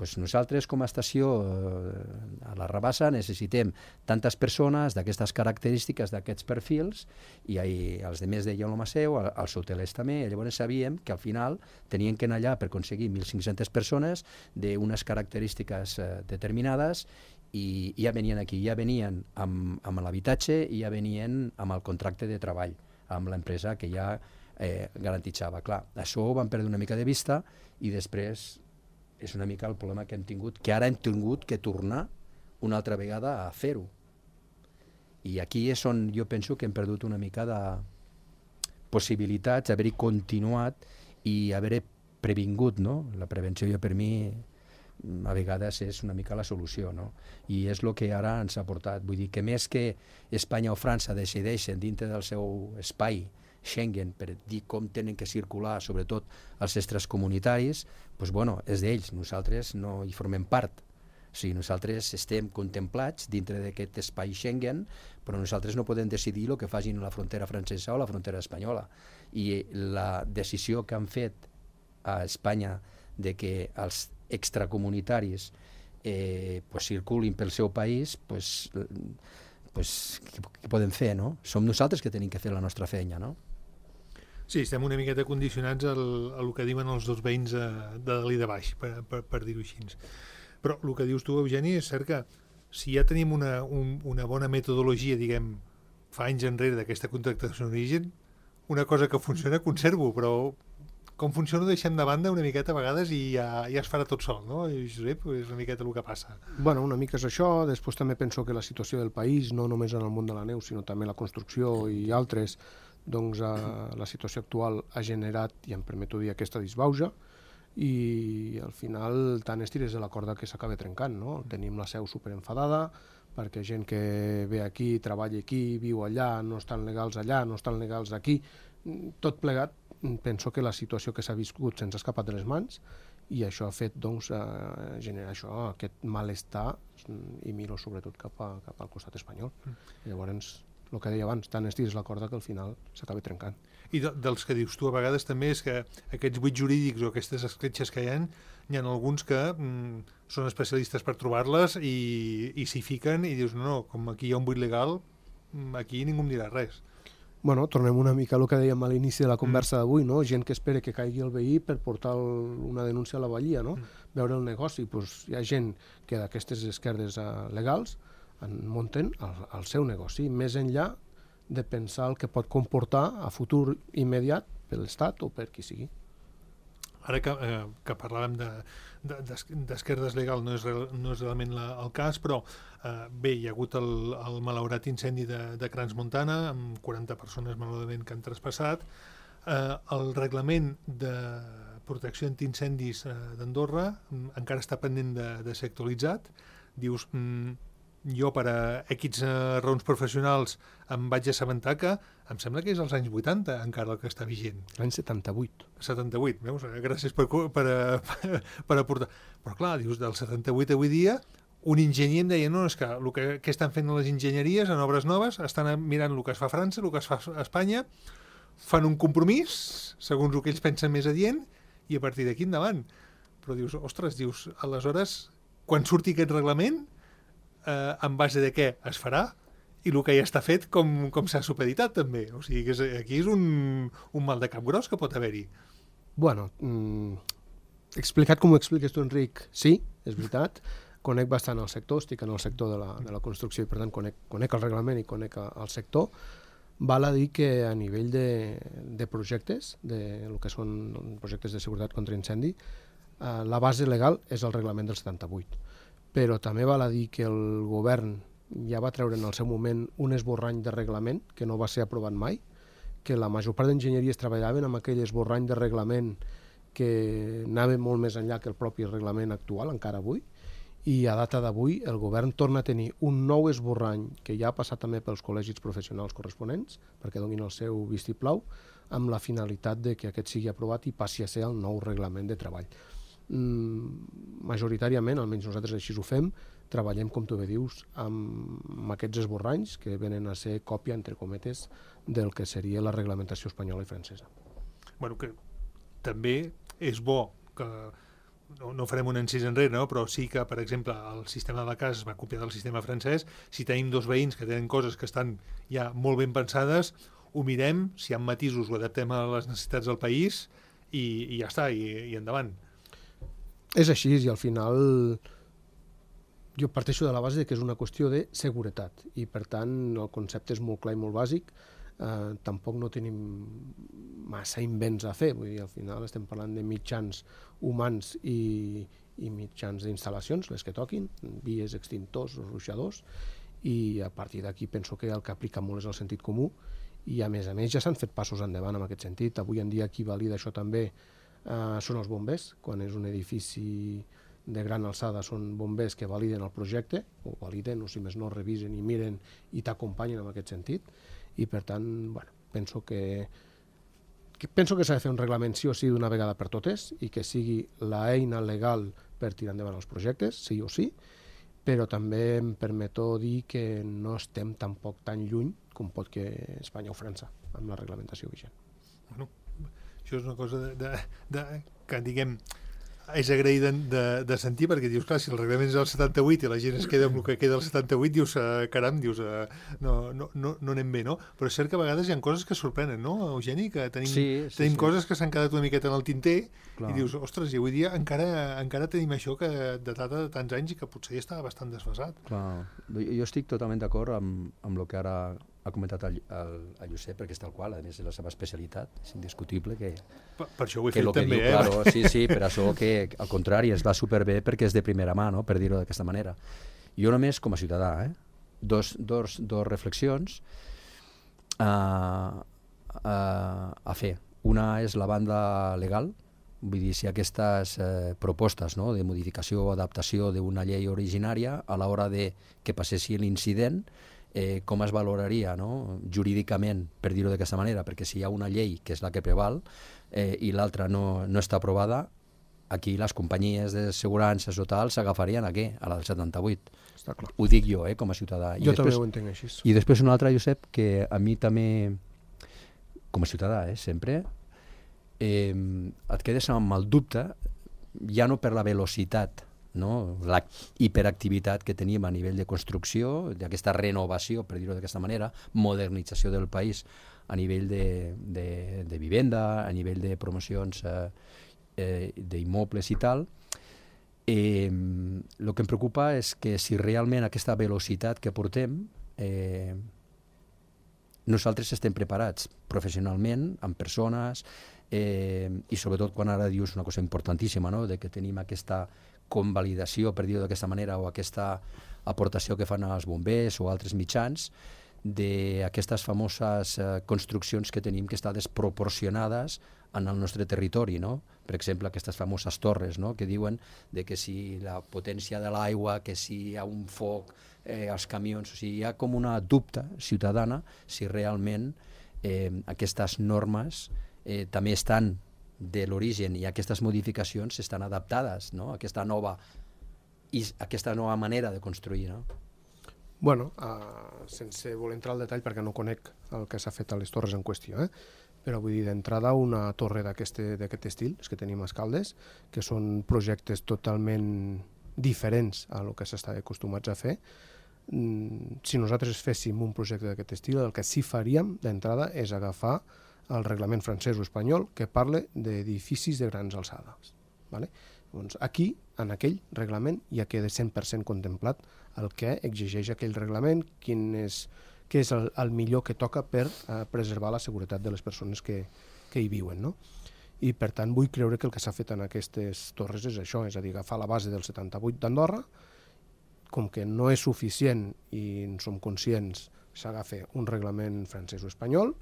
D: pues nosaltres com a estació eh, a la Rabassa necessitem tantes persones d'aquestes característiques, d'aquests perfils, i ahí, els demés deien el Maceu, els hotelers també, i llavors sabíem que al final tenien que anar allà per aconseguir mil cinc-centes persones d'unes característiques eh, determinades, i ja venien aquí, ja venien amb, amb l'habitatge i ja venien amb el contracte de treball, amb l'empresa que ja eh, garantitzava. Clar, això ho vam perdre una mica de vista i després és una mica el problema que hem tingut, que ara hem tingut que tornar una altra vegada a fer-ho. I aquí és on jo penso que hem perdut una mica de possibilitats d'haver-hi continuat i haver previngut, no? La prevenció jo per mi a vegades és una mica la solució, no? I és el que ara ens ha portat. Vull dir que més que Espanya o França decideixen dintre del seu espai Schengen per dir com tenen que circular, sobretot els extracomunitaris, doncs, bueno, és d'ells, nosaltres no hi formem part. O sigui, nosaltres estem contemplats dintre d'aquest espai Schengen, però nosaltres no podem decidir el que facin a la frontera francesa o la frontera espanyola. I la decisió que han fet a Espanya de que els extracomunitaris eh, pues, circulin pel seu país, pues, pues, què, què podem fer, no? Som nosaltres que tenim que fer la nostra feina, no?
B: Sí, estem una miqueta condicionats al, a el que diuen els dos veïns de, de dalt i de baix, per, per, per dir-ho així. Però el que dius tu, Eugeni, és cert que si ja tenim una, un, una bona metodologia, diguem, fa anys enrere d'aquesta contractació d'origen, una cosa que funciona, conservo, però com funciona ho deixem de banda una miqueta a vegades i ja, ja es farà tot sol, no? I, Josep, és una miqueta el que passa.
C: Bueno, una mica és això. Després també penso que la situació del país, no només en el món de la neu, sinó també la construcció i altres, doncs eh, la situació actual ha generat, i em permeto dir, aquesta disbauxa, i al final tant estires de la corda que s'acaba trencant, no? Tenim la seu superenfadada perquè gent que ve aquí, treballa aquí, viu allà, no estan legals allà, no estan legals aquí, tot plegat. Penso que la situació que s'ha viscut se'ns ha escapat de les mans i això ha fet, doncs, eh, generar això, aquest malestar, i miro sobretot cap, a, cap al costat espanyol. Llavors, el que deia abans, tant estires la corda que al final s'acaba trencant.
B: I de, dels que dius tu a vegades també és que aquests buits jurídics o aquestes escletxes que hi ha, hi ha alguns que mm, són especialistes per trobar-les i, i s'hi fiquen i dius, no, no, com aquí hi ha un buit legal, aquí ningú em dirà res.
C: Bueno, tornem una mica a el que dèiem a l'inici de la conversa d'avui, no? Gent que espera que caigui el veí per portar el, una denúncia a la vetllia, no? Mm. Veure el negoci. Pues, hi ha gent que d'aquestes esquerdes uh, legals en munten el, el seu negoci, més enllà de pensar el que pot comportar a futur immediat per l'Estat o per qui sigui.
B: Ara que, eh, que parlàvem de, de, d'esquerdes legal, no és, no és realment la, el cas, però eh, bé, hi ha hagut el, el malaurat incendi de, de Crans Montana, amb quaranta persones malauradament que han traspassat. Eh, el reglament de protecció antiincendis eh, d'Andorra encara està pendent de, de ser actualitzat. dius, mm, jo per a X raons professionals em vaig assabentar que em sembla que és als anys vuitanta encara el que està vigent.
C: L'any setanta-vuit.
B: setanta-vuit, veus? Gràcies per, per, per aportar. Però clar, dius, del setanta-vuit avui dia, un enginyer em deia, no, és que el que, que estan fent les enginyeries en obres noves, estan mirant el que es fa a França, el que es fa a Espanya, fan un compromís, segons el que ells pensen més adient, i a partir d'aquí endavant. Però dius, ostres, dius, aleshores, quan surti aquest reglament, eh, en base de què es farà, i el que ja està fet, com, com s'ha supeditat també. O sigui, que és, aquí és un, un mal de cap gros que pot haver-hi.
C: Bueno, mm, explicat com ho expliques tu, Enric, sí, és veritat. Conec bastant el sector, estic en el sector de la, de la construcció i per tant conec, conec el reglament i conec el sector. Val a dir que a nivell de, de projectes, de el que són projectes de seguretat contra incendi, eh, la base legal és el reglament del setanta-vuit. Però també val a dir que el govern ja va treure en el seu moment un esborrany de reglament que no va ser aprovat mai, que la major part d'enginyeries treballaven amb aquell esborrany de reglament que anava molt més enllà que el propi reglament actual, encara avui, i a data d'avui el govern torna a tenir un nou esborrany que ja ha passat també pels col·legis professionals corresponents perquè donin el seu vistiplau amb la finalitat de que aquest sigui aprovat i passi a ser el nou reglament de treball. Mm, majoritàriament, almenys nosaltres així ho fem, treballem, com tu bé dius, amb, amb aquests esborranys que venen a ser còpia, entre cometes, del que seria la reglamentació espanyola i francesa.
B: Bueno, que també és bo que no, no farem un encís enrere, no? Però sí que, per exemple, el sistema de la casa es va copiar del sistema francès. Si tenim dos veïns que tenen coses que estan ja molt ben pensades, ho mirem, si hi ha matisos ho adaptem a les necessitats del país i, i ja està, i, i endavant.
C: És així, i al final jo parteixo de la base que és una qüestió de seguretat i per tant el concepte és molt clar i molt bàsic. Eh, tampoc no tenim massa invents a fer, vull dir, al final estem parlant de mitjans humans i, i mitjans d'instal·lacions, les que toquin, vies, extintors o ruixadors, i a partir d'aquí penso que el que aplica molt és el sentit comú i a més a més ja s'han fet passos endavant en aquest sentit. Avui en dia qui valida això també eh, són els bombers, quan és un edifici de gran alçada són bombers que validen el projecte, o validen, o si més no revisen i miren i t'acompanyen en aquest sentit, i per tant, bueno, penso que, que penso que s'ha de fer un reglament sí o sí d'una vegada per totes i que sigui l'eina legal per tirar endavant els projectes, sí o sí, però també em permeto dir que no estem tampoc tan lluny com pot que Espanya o França amb la reglamentació vigent.
B: Bueno, això és una cosa de, de, de, que diguem és agrair de, de, de sentir, perquè dius, clar, si el reglament és del setanta-vuit i la gent es queda amb el que queda del setanta-vuit, dius, uh, caram, dius, uh, no, no, no, no anem bé, no? Però és cert que a vegades hi ha coses que sorprenen, no, Eugeni? Que tenim,
D: sí, sí,
B: tenim
D: sí. coses
B: que s'han quedat una miqueta en el tinter, clar. I dius, ostres, i avui dia encara, encara tenim això que data de tants anys i que potser ja està bastant desfasat.
D: Clar. Jo estic totalment d'acord amb, amb el que ara ha comentat el, el, el Josep, perquè és tal qual, a més és la seva especialitat, és indiscutible que...
B: Per, per això ho he
D: fet
B: també,
D: diu,
B: eh?
D: Claro, sí, sí, per això que al contrari ens va superbé perquè és de primera mà, no? Per dir-ho d'aquesta manera. Jo només, com a ciutadà, eh? dos, dos, dos reflexions uh, uh, a fer. Una és la banda legal, vull dir, si aquestes eh, propostes, no? De modificació o adaptació d'una llei originària a l'hora de que passessi l'incident, Eh, com es valoraria, no? Jurídicament, per dir-ho d'aquesta manera, perquè si hi ha una llei que és la que preval eh, i l'altra no, no està aprovada, aquí les companyies d'assegurances o tal s'agafarien a què? A la del setanta-vuit.
C: Està clar.
D: Ho dic jo, eh, com a ciutadà. I
C: jo
D: després,
C: també ho entenc així.
D: I després una altra, Josep, que a mi també, com a ciutadà, eh, sempre, eh, et quedes amb el dubte, ja no per la velocitat, no? La hiperactivitat que tenim a nivell de construcció, d'aquesta renovació, per dir-ho d'aquesta manera, modernització del país a nivell de, de, de vivenda, a nivell de promocions eh, eh, d'immobles i tal. Eh, el que em preocupa és que si realment aquesta velocitat que portem eh, nosaltres estem preparats professionalment, amb persones, eh, i sobretot quan ara dius una cosa importantíssima, no? De que tenim aquesta convalidació, per dir-ho d'aquesta manera, o aquesta aportació que fan els bombers o altres mitjans, d'aquestes famoses eh, construccions que tenim que estan desproporcionades en el nostre territori, no? Per exemple, aquestes famoses torres, no? Que diuen de que si la potència de l'aigua, que si hi ha un foc, eh, els camions, o sigui, hi ha com una dubte ciutadana si realment eh, aquestes normes eh, també estan de l'origen i aquestes modificacions estan adaptades, no? Aquesta nova, i aquesta nova manera de construir, no?
C: Bueno, uh, sense voler entrar al detall perquè no conec el que s'ha fet a les torres en qüestió, eh? Però vull dir, d'entrada una torre d'aquest estil, les que tenim a Escaldes, que són projectes totalment diferents a el que s'està acostumats a fer. Mm, si nosaltres féssim un projecte d'aquest estil, el que sí faríem d'entrada és agafar el reglament francès o espanyol que parla d'edificis de grans alçades. Vale? Doncs aquí, en aquell reglament, ja queda cent per cent contemplat el que exigeix aquell reglament, quin és, què és el, el millor que toca per eh, preservar la seguretat de les persones que, que hi viuen, no? I per tant vull creure que el que s'ha fet en aquestes torres és això, és a dir, agafar la base del setanta-vuit d'Andorra, com que no és suficient i en som conscients, s'agafa un reglament francès o espanyol,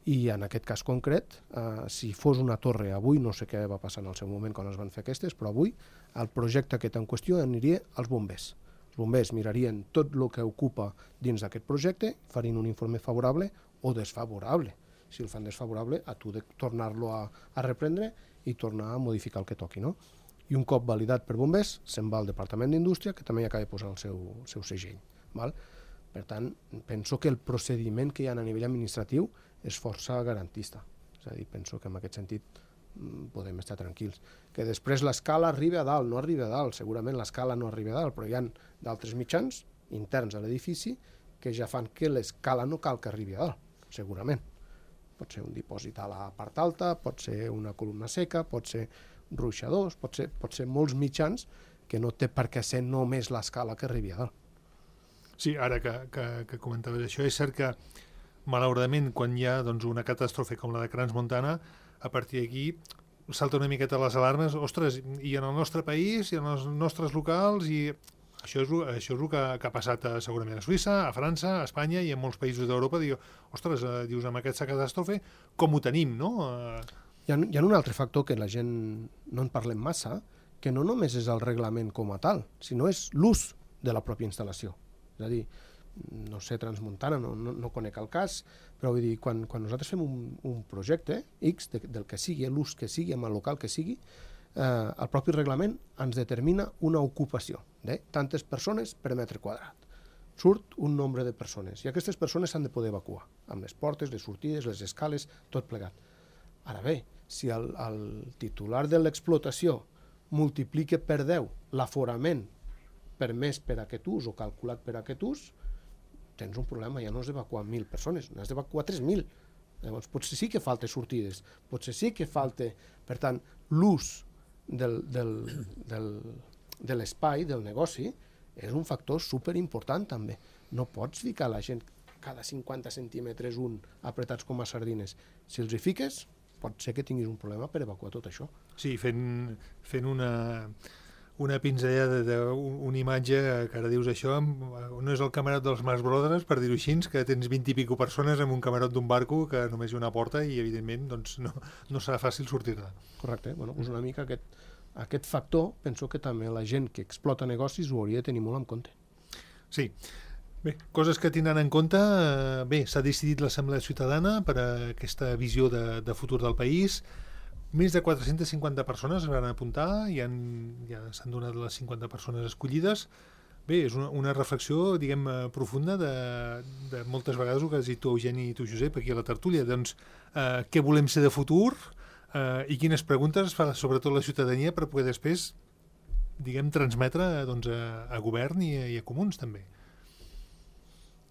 C: i en aquest cas concret, eh, si fos una torre avui, no sé què va passar en el seu moment quan es van fer aquestes, però avui el projecte aquest en qüestió aniria als bombers. Els bombers mirarien tot el que ocupa dins d'aquest projecte, farien un informe favorable o desfavorable. Si el fan desfavorable, a tu de tornar-lo a, a reprendre i tornar a modificar el que toqui, no? I un cop validat per bombers, se'n va al Departament d'Indústria, que també hi acaba de posar el seu, seu segell. Val? Per tant, penso que el procediment que hi ha a nivell administratiu és força garantista. És a dir, penso que en aquest sentit podem estar tranquils. Que després l'escala arriba a dalt, no arriba a dalt, segurament l'escala no arriba a dalt, però hi ha d'altres mitjans interns a l'edifici que ja fan que l'escala no cal que arribi a dalt, segurament. Pot ser un dipòsit a la part alta, pot ser una columna seca, pot ser ruixadors, pot ser, pot ser molts mitjans que no té per què ser només l'escala que arribi a dalt.
B: Sí, ara que, que, que comentaves això, és cert que malauradament quan hi ha doncs, una catàstrofe com la de Crans Montana, a partir d'aquí salta una miqueta les alarmes, ostres, i en el nostre país, i en els nostres locals, i això és, això és el que, que ha passat a, segurament a Suïssa, a França, a Espanya i a molts països d'Europa. Diu, ostres, eh, dius, amb aquesta catàstrofe, com ho tenim, no? Eh...
C: Hi ha, hi ha un altre factor que la gent no en parlem massa, que no només és el reglament com a tal, sinó és l'ús de la pròpia instal·lació. És a dir, no sé, Transmontana, no, no, no conec el cas, però vull dir, quan, quan nosaltres fem un, un projecte X, de, del que sigui, l'ús que sigui, amb el local que sigui, eh, el propi reglament ens determina una ocupació de tantes persones per metre quadrat. Surt un nombre de persones, i aquestes persones s'han de poder evacuar, amb les portes, les sortides, les escales, tot plegat. Ara bé, si el, el titular de l'explotació multiplica per deu l'aforament permès per aquest ús o calculat per aquest ús, tens un problema, ja no has d'evacuar mil persones, n'has d'evacuar tres mil. Llavors, potser sí que falta sortides, potser sí que falta... Per tant, l'ús del, del, del, de l'espai, del negoci, és un factor superimportant també. No pots ficar la gent cada cinquanta centímetres un apretats com a sardines. Si els hi fiques, pot ser que tinguis un problema per evacuar tot això.
B: Sí, fent, fent una... una pinzellada d'una imatge que ara dius això, no és el camarot dels Marx Brothers, per dir-ho així, que tens vint i pico persones en un camarot d'un barco que només hi ha una porta i evidentment doncs, no, no serà fàcil sortir-ne.
C: Correcte, bueno, doncs una mica aquest, aquest factor penso que també la gent que explota negocis ho hauria de tenir molt en compte.
B: Sí, bé, coses que tindran en compte, bé, s'ha decidit l'Assemblea Ciutadana per a aquesta visió de, de futur del país. Més de quatre-centes cinquanta persones es van apuntar, i han, ja s'han donat les cinquanta persones escollides. Bé, és una, una reflexió, diguem, profunda de, de moltes vegades el que has dit tu, Eugeni, i tu, Josep, aquí a la tertúlia. Doncs, eh, què volem ser de futur eh, i quines preguntes fa sobretot la ciutadania per poder després, diguem, transmetre doncs, a, a govern i a, i a comuns, també.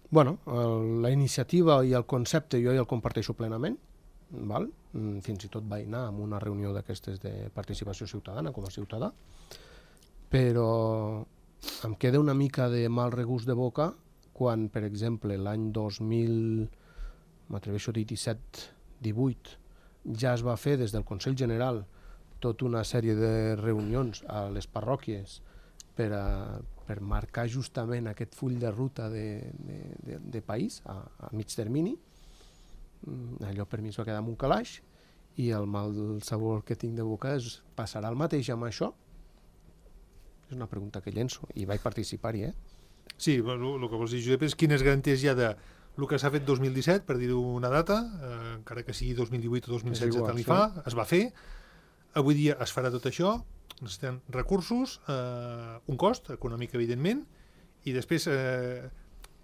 C: Bueno, el, la iniciativa i el concepte jo ja el comparteixo plenament. Val? Fins i tot vaig anar a una reunió d'aquestes de participació ciutadana com a ciutadà, però em queda una mica de mal regust de boca quan, per exemple, l'any dos mil, m'atreveixo a dir disset divuit, ja es va fer des del Consell General tota una sèrie de reunions a les parròquies per, a, per marcar justament aquest full de ruta de, de, de, de país a, a mig termini. Allò per mi es va quedar amb un calaix, i el mal sabor que tinc de boca és, passarà el mateix amb això? És una pregunta que llenço i vaig participar-hi, eh?
B: Sí, el que vols dir, Josep, és quines garanties hi ha de el que s'ha fet dos mil disset, per dir-ho una data, eh, encara que sigui dos mil divuit o dos mil setze, tal i fa, es va fer, avui dia es farà tot això, necessitem recursos, eh, un cost econòmic, evidentment, i després eh,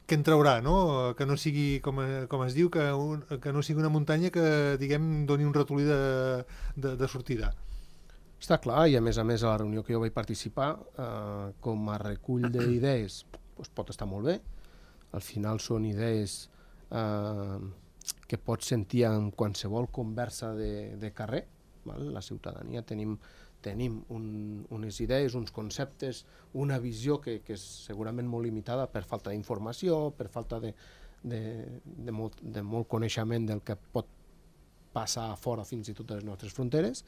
B: què en traurà, no? Que no sigui, com, com es diu, que, un, que no sigui una muntanya que, diguem, doni un ratolí de, de, de sortida.
C: Està clar, i a més a més a la reunió que jo vaig participar, eh, com a recull d'idees, doncs pot estar molt bé. Al final són idees eh, que pots sentir en qualsevol conversa de, de carrer. Val? La ciutadania tenim, tenim un, unes idees, uns conceptes, una visió que, que és segurament molt limitada per falta d'informació, per falta de, de, de, molt, de molt coneixement del que pot passar a fora fins i tot de les nostres fronteres,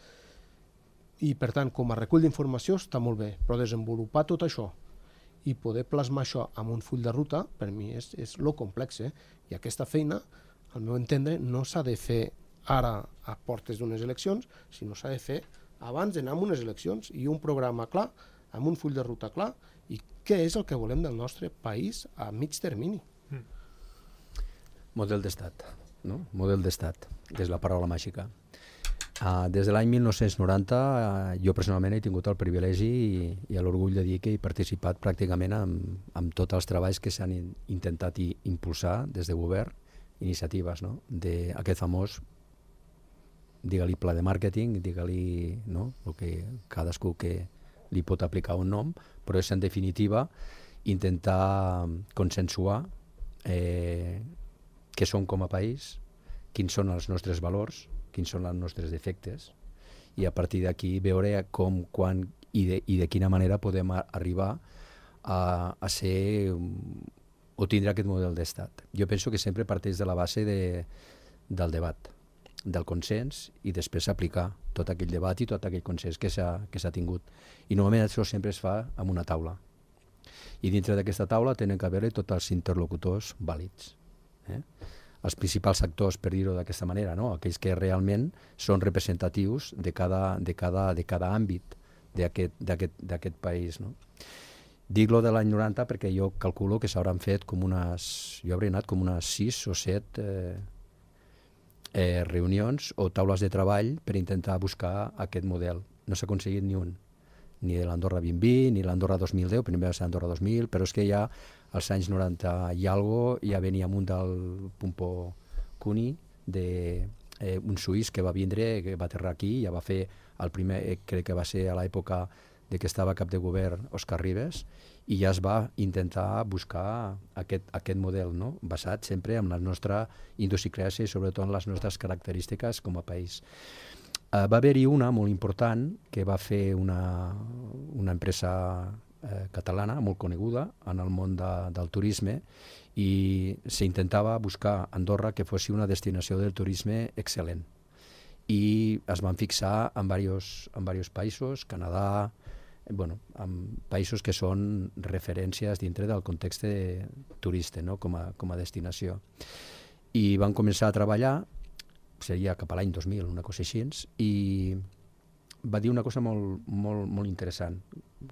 C: i per tant com a recull d'informació està molt bé, però desenvolupar tot això i poder plasmar això amb un full de ruta, per mi és, és lo complex, eh? I aquesta feina, al meu entendre, no s'ha de fer ara a portes d'unes eleccions, sinó s'ha de fer abans d'anar a unes eleccions i un programa clar, amb un full de ruta clar, i què és el que volem del nostre país a mig termini. Mm.
D: Model d'estat, no? Model d'estat, que és la paraula màgica. Uh, des de l'any mil nou-cents noranta uh, jo personalment he tingut el privilegi i, i l'orgull de dir que he participat pràcticament amb, amb tots els treballs que s'han in, intentat i, impulsar des de govern, iniciatives, no? D'aquest famós, digue-li pla de màrqueting, digue-li, no? El que cadascú que li pot aplicar un nom, però és en definitiva intentar consensuar eh, què som com a país, quins són els nostres valors, quins són els nostres defectes, i a partir d'aquí veure com, quan i de, i de quina manera podem a, arribar a, a ser o tindre aquest model d'estat. Jo penso que sempre parteix de la base de, del debat, del consens, i després aplicar tot aquell debat i tot aquell consens que s'ha que s'ha tingut. I normalment això sempre es fa amb una taula. I dintre d'aquesta taula tenen que haver-hi tots els interlocutors vàlids. Eh? Els principals actors, per dir-ho d'aquesta manera, no? Aquells que realment són representatius de cada, de cada, de cada àmbit d'aquest país. No? Dic-lo de l'any noranta perquè jo calculo que s'hauran fet com unes... Jo hauria anat com unes sis o set eh, eh, reunions o taules de treball per intentar buscar aquest model. No s'ha aconseguit ni un, ni de l'Andorra vint vint, ni l'Andorra dos mil deu, primer va ser l'Andorra dos mil, però és que ja als anys noranta i algo ja venia amunt del Pompo Cuni, de, eh, un suís que va vindre, que va aterrar aquí, ja va fer el primer, eh, crec que va ser a l'època de que estava cap de govern Òscar Ribes, i ja es va intentar buscar aquest, aquest model, no? Basat sempre en la nostra idiosincràsia i sobretot en les nostres característiques com a país. Uh, va haver-hi una molt important que va fer una, una empresa eh, catalana molt coneguda en el món de, del turisme, i s'intentava buscar Andorra que fos una destinació del turisme excel·lent. I es van fixar en diversos, en diversos països, Canadà, bueno, en països que són referències dintre del context de turista, no? com, a, com a destinació. I van començar a treballar, seria cap a l'any dos mil, una cosa així, i va dir una cosa molt, molt, molt interessant.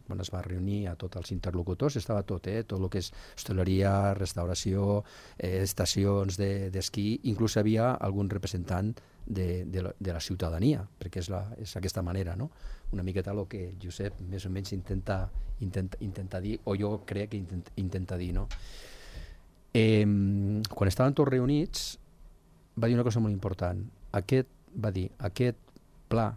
D: Quan es va reunir a tots els interlocutors, estava tot, eh? Tot el que és hostaleria, restauració, eh, estacions d'esquí, de, inclús hi havia algun representant de, de, la, de la ciutadania, perquè és, la, és aquesta manera, no? Una miqueta el que Josep més o menys intenta, intenta, intenta dir, o jo crec que intenta, intenta dir, no? Eh, quan estaven tots reunits, va dir una cosa molt important. Aquest, va dir, aquest pla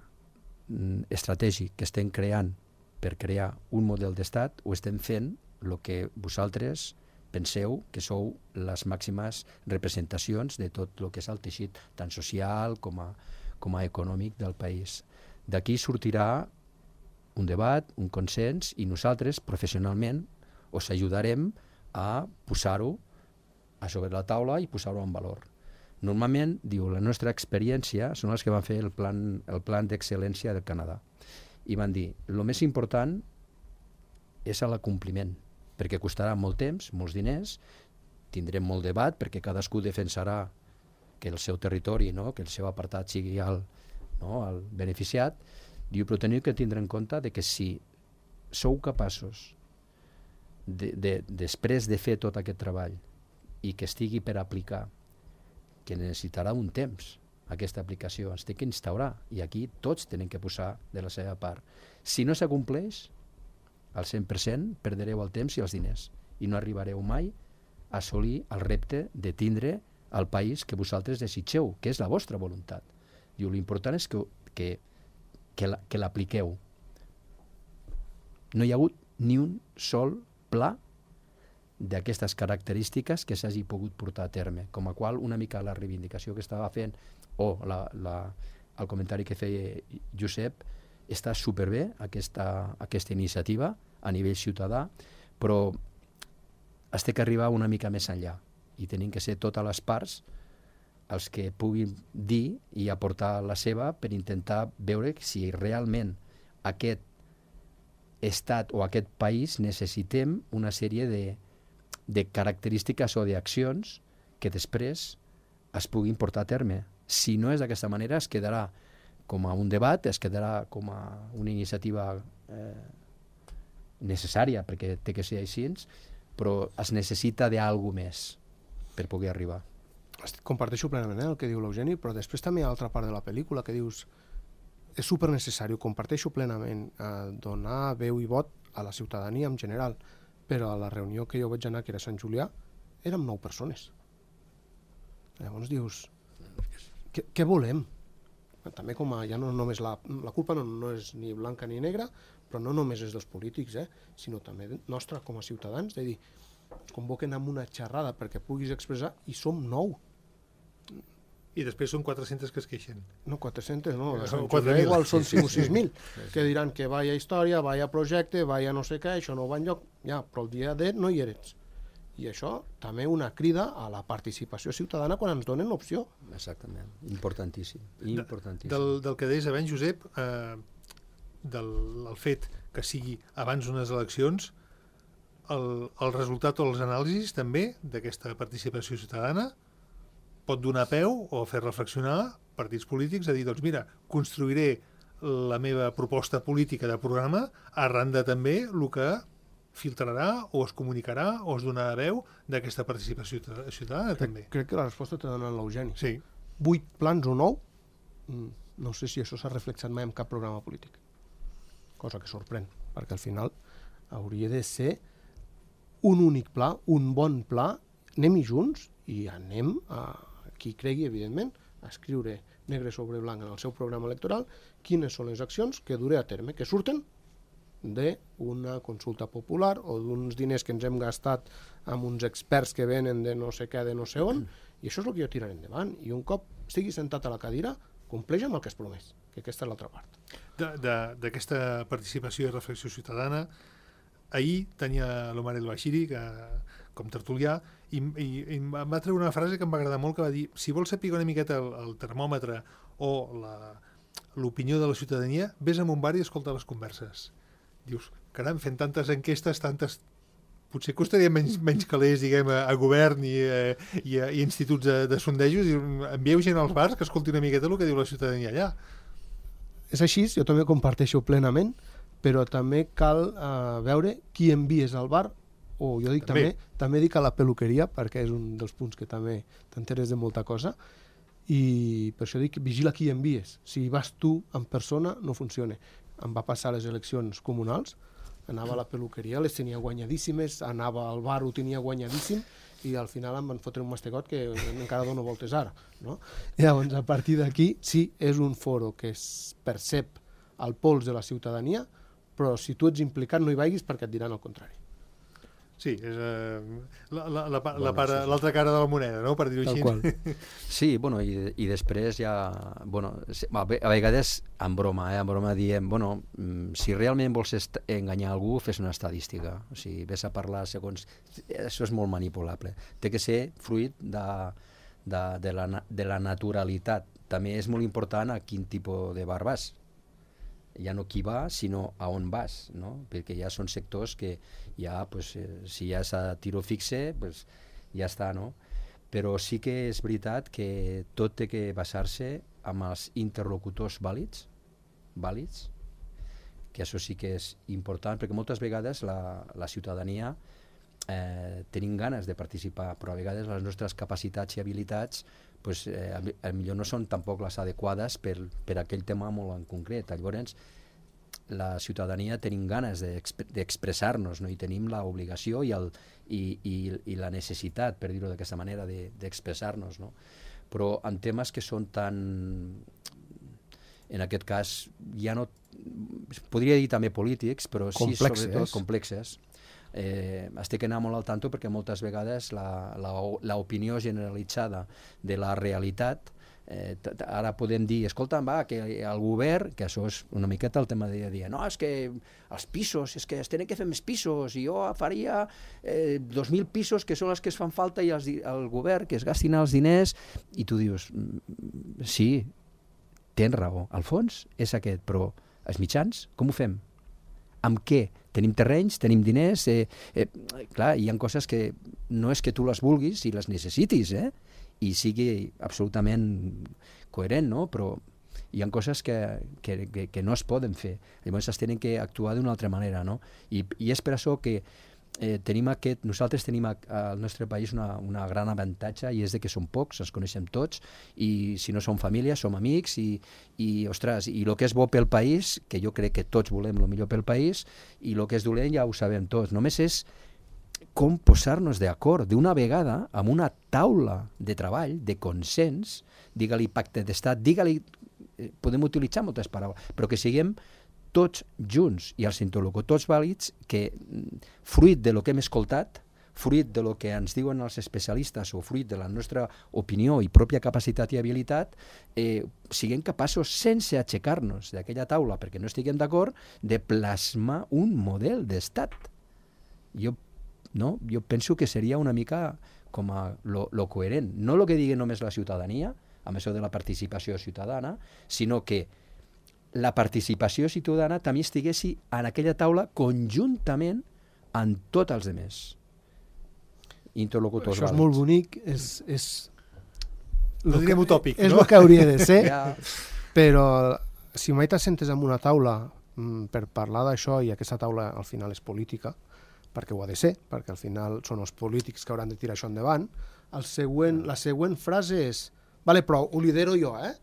D: mm, estratègic que estem creant per crear un model d'estat, ho estem fent el que vosaltres penseu que sou les màximes representacions de tot el que és el teixit tant social com a, com a econòmic del país. D'aquí sortirà un debat, un consens, i nosaltres professionalment us ajudarem a posar-ho a sobre la taula i posar-ho en valor. Normalment, diu, la nostra experiència són els que van fer el plan, el plan d'excel·lència del Canadà. I van dir, el més important és l'acompliment, perquè costarà molt temps, molts diners, tindrem molt debat, perquè cadascú defensarà que el seu territori, no? Que el seu apartat sigui el, no? Al beneficiat, diu, però teniu que tindre en compte de que si sou capaços, de, de, després de fer tot aquest treball, i que estigui per aplicar, que necessitarà un temps, aquesta aplicació, ens té que instaurar, i aquí tots tenen que posar de la seva part. Si no s'acompleix, al cent per cent perdereu el temps i els diners, i no arribareu mai a assolir el repte de tindre el país que vosaltres desitgeu, que és la vostra voluntat. Diu, l'important és que, que, que, la, que l'apliqueu. No hi ha hagut ni un sol pla d'aquestes característiques que s'hagi pogut portar a terme, com a qual una mica la reivindicació que estava fent o la, la, el comentari que feia Josep, està superbé aquesta, aquesta iniciativa a nivell ciutadà, però es té que arribar una mica més enllà i tenim que ser totes les parts els que puguin dir i aportar la seva per intentar veure si realment aquest estat o aquest país necessitem una sèrie de, de característiques o d'accions que després es puguin portar a terme. Si no és d'aquesta manera, es quedarà com a un debat, es quedarà com a una iniciativa eh, necessària, perquè té que ser així, però es necessita d'algú més per poder arribar.
C: Comparteixo plenament eh, el que diu l'Eugeni, però després també hi ha altra part de la pel·lícula que dius és supernecessari, comparteixo plenament eh, donar veu i vot a la ciutadania en general, però a la reunió que jo vaig anar, que era a Sant Julià, érem nou persones. Llavors dius, què, què volem? També com a, ja no només la, la culpa no, no és ni blanca ni negra, però no només és dels polítics, eh, sinó també nostra com a ciutadans, de dir, ens convoquen amb una xerrada perquè puguis expressar i som nou.
B: I després són quatre-centes que es queixen.
C: No, quatre-centes no, de
B: Són
C: Sant
B: quatre
C: Julià
B: mil.
C: igual són
B: Sí,
C: cinc o
B: sí,
C: sis mil, que diran que vaya història, vaya projecte, vaya no sé què, això no va enlloc, ja, però el dia D no hi eres. I això també una crida a la participació ciutadana quan ens donen l'opció.
D: Exactament, importantíssim. importantíssim.
B: Del, del que deies abans, Josep, eh, del el fet que sigui abans d'unes eleccions, el, el resultat o els anàlisis també d'aquesta participació ciutadana pot donar peu o fer reflexionar partits polítics a dir, doncs mira, construiré la meva proposta política de programa arran de també el que filtrarà o es comunicarà o es donarà veu d'aquesta participació ciutadana
C: crec,
B: també.
C: Crec que la resposta t'ha donat l'Eugeni.
B: Sí.
C: Vuit plans o nou, no sé si això s'ha reflexat mai en cap programa polític. Cosa que sorprèn, perquè al final hauria de ser un únic pla, un bon pla, anem-hi junts i anem a qui cregui, evidentment, a escriure negre sobre blanc en el seu programa electoral quines són les accions que duré a terme, que surten d'una consulta popular o d'uns diners que ens hem gastat amb uns experts que venen de no sé què, de no sé on, i això és el que jo tiraré endavant. I un cop estigui sentat a la cadira, compleix amb el que has promès, que aquesta és l'altra part.
B: D'aquesta participació i reflexió ciutadana, ahir tenia l'Omar El Bashiri, que, com tertulià, i, i, i em va treure una frase que em va agradar molt, que va dir, si vols saber una miqueta el, el termòmetre o l'opinió de la ciutadania, vés a un bar i escolta les converses. Dius, caram, fent tantes enquestes, tantes... Potser costaria menys, menys calés, diguem, a, a govern i, a, i, a, i instituts de, de sondejos, i envieu gent als bars que escolti una miqueta el que diu la ciutadania allà.
C: És així, jo també comparteixo plenament, però també cal eh, veure qui envies al bar, o jo dic també, també, també dic a la peluqueria, perquè és un dels punts que també t'enteres de molta cosa, i per això dic, vigila qui envies. Si vas tu en persona, no funciona. Em va passar a les eleccions comunals, anava a la peluqueria, les tenia guanyadíssimes, anava al bar, ho tenia guanyadíssim, i al final em van fotre un mastegot que encara dono voltes ara. No? Llavors, a partir d'aquí, sí, és un foro que es percep al pols de la ciutadania, però si tu ets implicat no hi vagis perquè et diran el contrari.
B: Sí, és eh, l'altra la, la, la, la, la cara de la moneda, no? Per dir-ho així.
D: Sí, bueno, i, i després ja... Bueno, a vegades, en broma, eh, en broma diem, bueno, si realment vols enganyar algú, fes una estadística. O sigui, ves a parlar segons... Això és molt manipulable. Té que ser fruit de, de, de, la, de la naturalitat. També és molt important a quin tipus de bar vas. Ja no qui va, sinó a on vas, no? Perquè ja són sectors que ja, pues, eh, si ja és a tiro fixe, pues, ja està, no? Però sí que és veritat que tot té que basar-se amb els interlocutors vàlids, vàlids, que això sí que és important, perquè moltes vegades la, la ciutadania eh, tenim ganes de participar, però a vegades les nostres capacitats i habilitats pues, eh, a millor no són tampoc les adequades per, per aquell tema molt en concret. Llavors, la ciutadania tenim ganes d'expressar-nos, no? I tenim l'obligació i, el, i, i, i la necessitat, per dir-ho d'aquesta manera, d'expressar-nos, no? Però en temes que són tan... En aquest cas, ja no... Podria dir també polítics, però sí,
C: complexes.
D: Sobretot complexes. Eh, estic anant molt al tanto perquè moltes vegades l'opinió generalitzada de la realitat, eh, ara podem dir, escolta, va, que el govern, que això és una miqueta el tema de dia a dia, no, és que els pisos, és que es tenen que fer més pisos, i jo faria eh, dos mil pisos que són els que es fan falta i els, el govern que es gastin els diners, i tu dius, sí, tens raó, al fons és aquest, però els mitjans, com ho fem? Amb què? Tenim terrenys, tenim diners, eh, eh, clar, hi ha coses que no és que tu les vulguis i les necessitis, eh? I sigui absolutament coherent, no? Però hi ha coses que, que, que, que no es poden fer, llavors es tenen que actuar d'una altra manera, no? I, i és per això que Eh, tenim aquest, nosaltres tenim a, al nostre país una, una gran avantatge, i és de que som pocs, ens coneixem tots, i si no som família, som amics, i, i ostres, i el que és bo pel país, que jo crec que tots volem el millor pel país, i el que és dolent ja ho sabem tots, només és com posar-nos d'acord d'una vegada amb una taula de treball, de consens, digue-li pacte d'estat, digue-li, eh, podem utilitzar moltes paraules, però que siguem tots junts i els interlocutors vàlids que, fruit de lo que hem escoltat, fruit de lo que ens diuen els especialistes o fruit de la nostra opinió i pròpia capacitat i habilitat, eh, siguem capaços, sense aixecar-nos d'aquella taula perquè no estiguem d'acord, de plasmar un model d'estat. Jo, no? Jo penso que seria una mica com a lo, lo coherent. No el que digui només la ciutadania, amb això de la participació ciutadana, sinó que la participació ciutadana també estiguessi en aquella taula conjuntament amb tots els altres interlocutors.
C: Això és
D: vàlids.
C: molt bonic, és, és
B: no direm utòpic,
C: és
B: no?
C: el que hauria de ser,
D: Ja.
C: Però si mai t'assentes en una taula mm, per parlar d'això, i aquesta taula al final és política, perquè ho ha de ser, perquè al final són els polítics que hauran de tirar això endavant, el següent, la següent frase és, vale, però ho lidero jo, eh?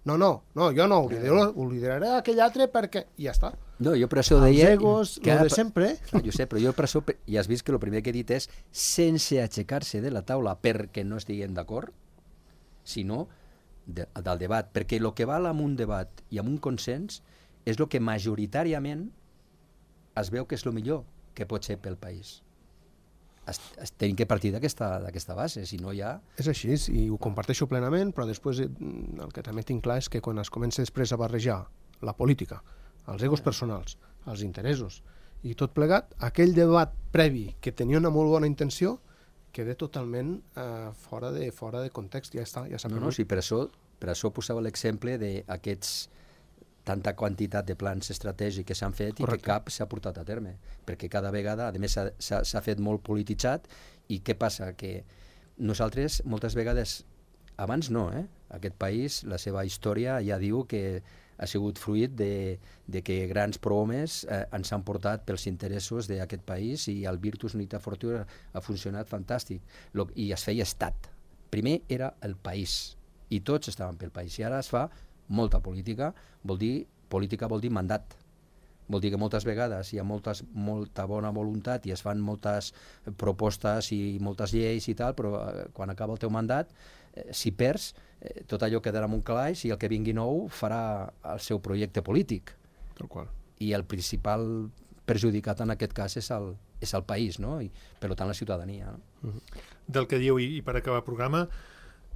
C: No, no, no, jo no, ho, lidero, ho lideraré aquell altre perquè... I ja està.
D: No, jo per això deia...
C: Els egos,
D: que
C: lo de sempre.
D: No, jo sé, però jo per això ja has vist que el primer que he dit és sense aixecar-se de la taula perquè no estiguem d'acord, sinó de, del debat, perquè el que val amb un debat i amb un consens és el que majoritàriament es veu que és el millor que pot ser pel país. Es, es tenim que partir d'aquesta base, si no hi ha...
C: És així, i ho comparteixo plenament, però després el que també tinc clar és que quan es comença després a barrejar la política, els egos personals, els interessos i tot plegat, aquell debat previ que tenia una molt bona intenció queda totalment eh, fora, de, fora de context, ja està, ja s'ha
D: no, no, sí, per això, per això posava l'exemple d'aquests tanta quantitat de plans estratègics que s'han fet. Correcte. I que cap s'ha portat a terme, perquè cada vegada, a més, s'ha fet molt polititzat, i què passa? Que nosaltres, moltes vegades, abans no, eh? Aquest país, la seva història ja diu que ha sigut fruit de, de que grans prohomes eh, ens han portat pels interessos d'aquest país, i el Virtus Unitat Fortuna ha funcionat fantàstic, Lo, i es feia estat. Primer era el país, i tots estaven pel país, i ara es fa molta política. Vol dir, política vol dir mandat, vol dir que moltes vegades hi ha moltes, molta bona voluntat i es fan moltes propostes i moltes lleis i tal, però eh, quan acaba el teu mandat, eh, si perds, eh, tot allò quedarà en un calaix, i el que vingui nou farà el seu projecte polític.
C: Tal qual.
D: I el principal perjudicat en aquest cas és el, és el país, no? I per tant la ciutadania. No?
B: Uh-huh. Del que dieu, i, i per acabar el programa,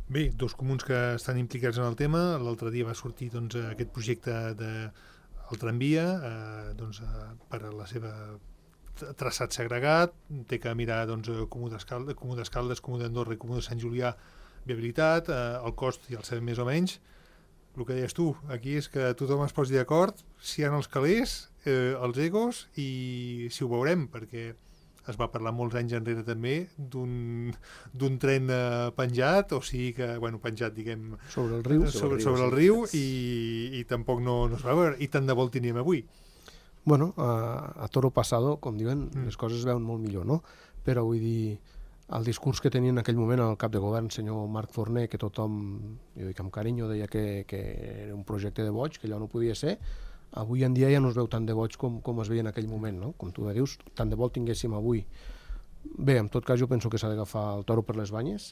B: bé, dos comuns que estan implicats en el tema. L'altre dia va sortir doncs, aquest projecte de el tramvia, eh, doncs, eh, per a la seva traçat segregat, té que mirar doncs, Comú d'Escaldes, Comú d'Escaldes, Comú d'Andorra i Comú de Sant Julià, viabilitat, eh, el cost i el sabem més o menys. El que deies tu, aquí és que tothom es posi d'acord, si hi ha els calés, eh, els egos, i si ho veurem, perquè es va parlar molts anys enrere també d'un tren eh, penjat, o sigui que, bueno, penjat, diguem...
C: Sobre el riu.
B: Sobre, sobre el riu, i, i tampoc no, no es va veure, i tant de vol teníem avui.
C: Bueno, a, a toro passado, com diuen, mm. les coses es veuen molt millor, no? Però vull dir, el discurs que tenia en aquell moment el cap de govern, senyor Marc Forner, que tothom, jo dic amb carinyo, deia que, que era un projecte de boig, que allò no podia ser, avui en dia ja no es veu tant de boig com, com es veia en aquell moment, no? Com tu dius, tant de bo tinguéssim avui. Bé, en tot cas jo penso que s'ha d'agafar el toro per les banyes,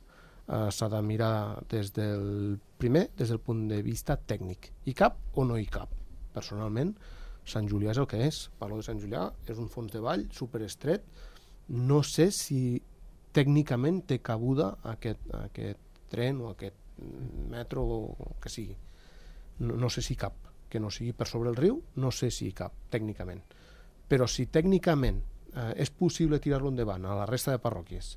C: uh, s'ha de mirar des del primer, des del punt de vista tècnic. Hi cap o no hi cap? Personalment, Sant Julià és el que és. Parlo de Sant Julià, és un fons de vall superestret. No sé si tècnicament té cabuda aquest, aquest tren o aquest metro o que sigui. No, no sé si cap. Que no sigui per sobre el riu, no sé si cap, tècnicament. Però si tècnicament eh, és possible tirar-lo endavant a la resta de parròquies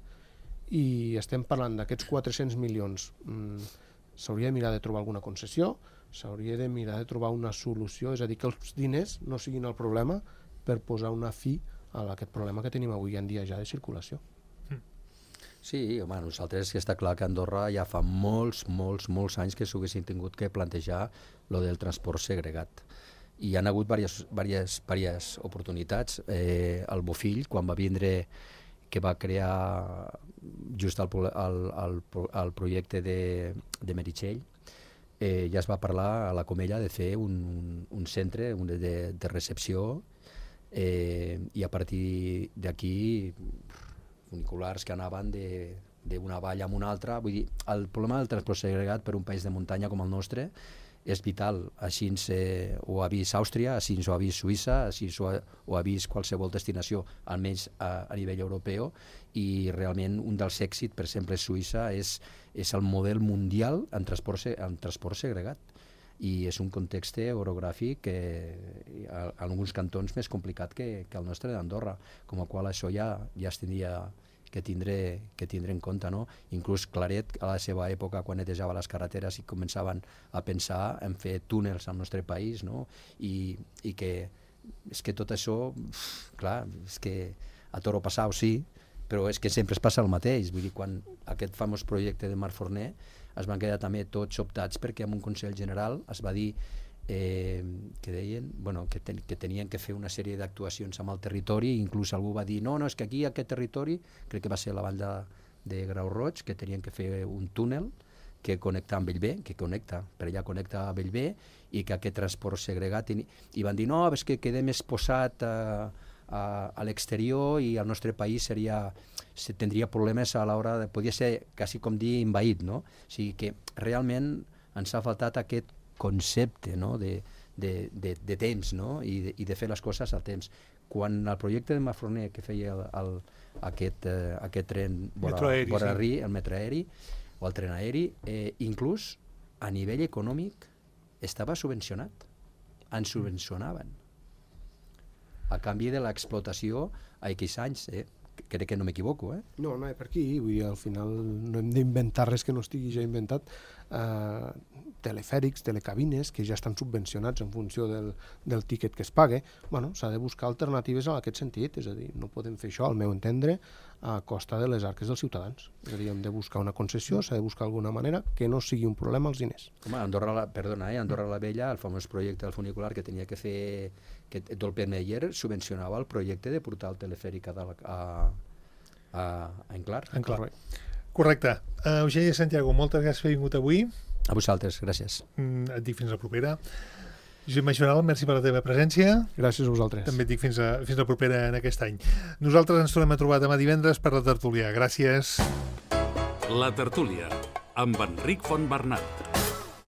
C: i estem parlant d'aquests quatre-cents milions, mmm, s'hauria de mirar de trobar alguna concessió, s'hauria de mirar de trobar una solució, és a dir, que els diners no siguin el problema per posar una fi a aquest problema que tenim avui en dia ja de circulació.
D: Sí, home, nosaltres que està clar que a Andorra ja fa molts, molts, molts anys que s'haguessin tingut que plantejar lo del transport segregat. I hi ha hagut diverses, diverses, diverses oportunitats. Eh, el Bofill, quan va vindre, que va crear just el, el, el, el projecte de, de Meritxell, eh, ja es va parlar a la Comella de fer un, un centre un de, de recepció, eh, i a partir d'aquí funiculars que anaven d'una vall a una altra. Vull dir, el problema del transport segregat per un país de muntanya com el nostre és vital. Així eh, ho ha vist Àustria, així ho ha vist Suïssa, així ho ha, ho ha vist qualsevol destinació, almenys a, a nivell europeu, i realment un dels èxits, per exemple, Suïssa, és, és el model mundial en transport, en transport segregat. I és un context orogràfic que en alguns cantons més complicat que, que el nostre d'Andorra, com a qual això ja, ja es tindria que tindre, que tindre en compte, no? Inclús Claret, a la seva època, quan netejava les carreteres i començaven a pensar en fer túnels al nostre país, no? I, i que és que tot això, clar, és que a toro passau sí, però és que sempre es passa el mateix. Vull dir, quan aquest famós projecte de Marc Forner es van quedar també tots sobtats perquè en un Consell General es va dir eh, que deien bueno, que, ten, que tenien que fer una sèrie d'actuacions amb el territori, i inclús algú va dir no, no, és que aquí aquest territori, crec que va ser la vall de, de Grau Roig, que tenien que fer un túnel que connecta amb Bellver, que connecta, per allà connecta a Bellver, i que aquest transport segregat, i, i van dir no, és que quedem exposat a, a, a l'exterior i el nostre país seria se tindria problemes a l'hora de... Podria ser quasi com dir envaït, no? O sigui que realment ens ha faltat aquest concepte, no? de, de, de, de temps, no? I, de, i de fer les coses al temps. Quan el projecte de Marc Forner que feia el, el, aquest, eh, aquest tren vora, vora sí. el metro aeri o el tren aeri, eh, inclús a nivell econòmic estava subvencionat. Ens subvencionaven a canvi de l'explotació a X anys, eh? Crec que no m'equivoco, eh?
C: No, no, per aquí, vull dir, al final no hem d'inventar res que no estigui ja inventat. Uh, telefèrics, telecabines, que ja estan subvencionats en funció del, del tíquet que es pague. Bueno, s'ha de buscar alternatives en aquest sentit, és a dir, no podem fer això, al meu entendre, a costa de les arques dels ciutadans. És a dir, hem de buscar una concessió, s'ha de buscar alguna manera que no sigui un problema als diners.
D: Home, Andorra, la, perdona, eh? Andorra la Vella, el famós projecte del funicular que tenia que fer, que Dolpen-Meyer subvencionava el projecte de portar el telefèric a, a, a, a Enclar.
B: Enclar. Correcte. Uh, Eugeni Santiago, moltes gràcies per haver vingut avui.
D: A vosaltres, gràcies.
B: Mm, et dic fins la propera. Josep Majoral, merci per la teva presència.
C: Gràcies a vosaltres.
B: També et dic fins a, fins a la propera en aquest any. Nosaltres ens tornem a trobar demà divendres per la tertúlia. Gràcies.
A: La tertúlia, amb Enric Fontbernat.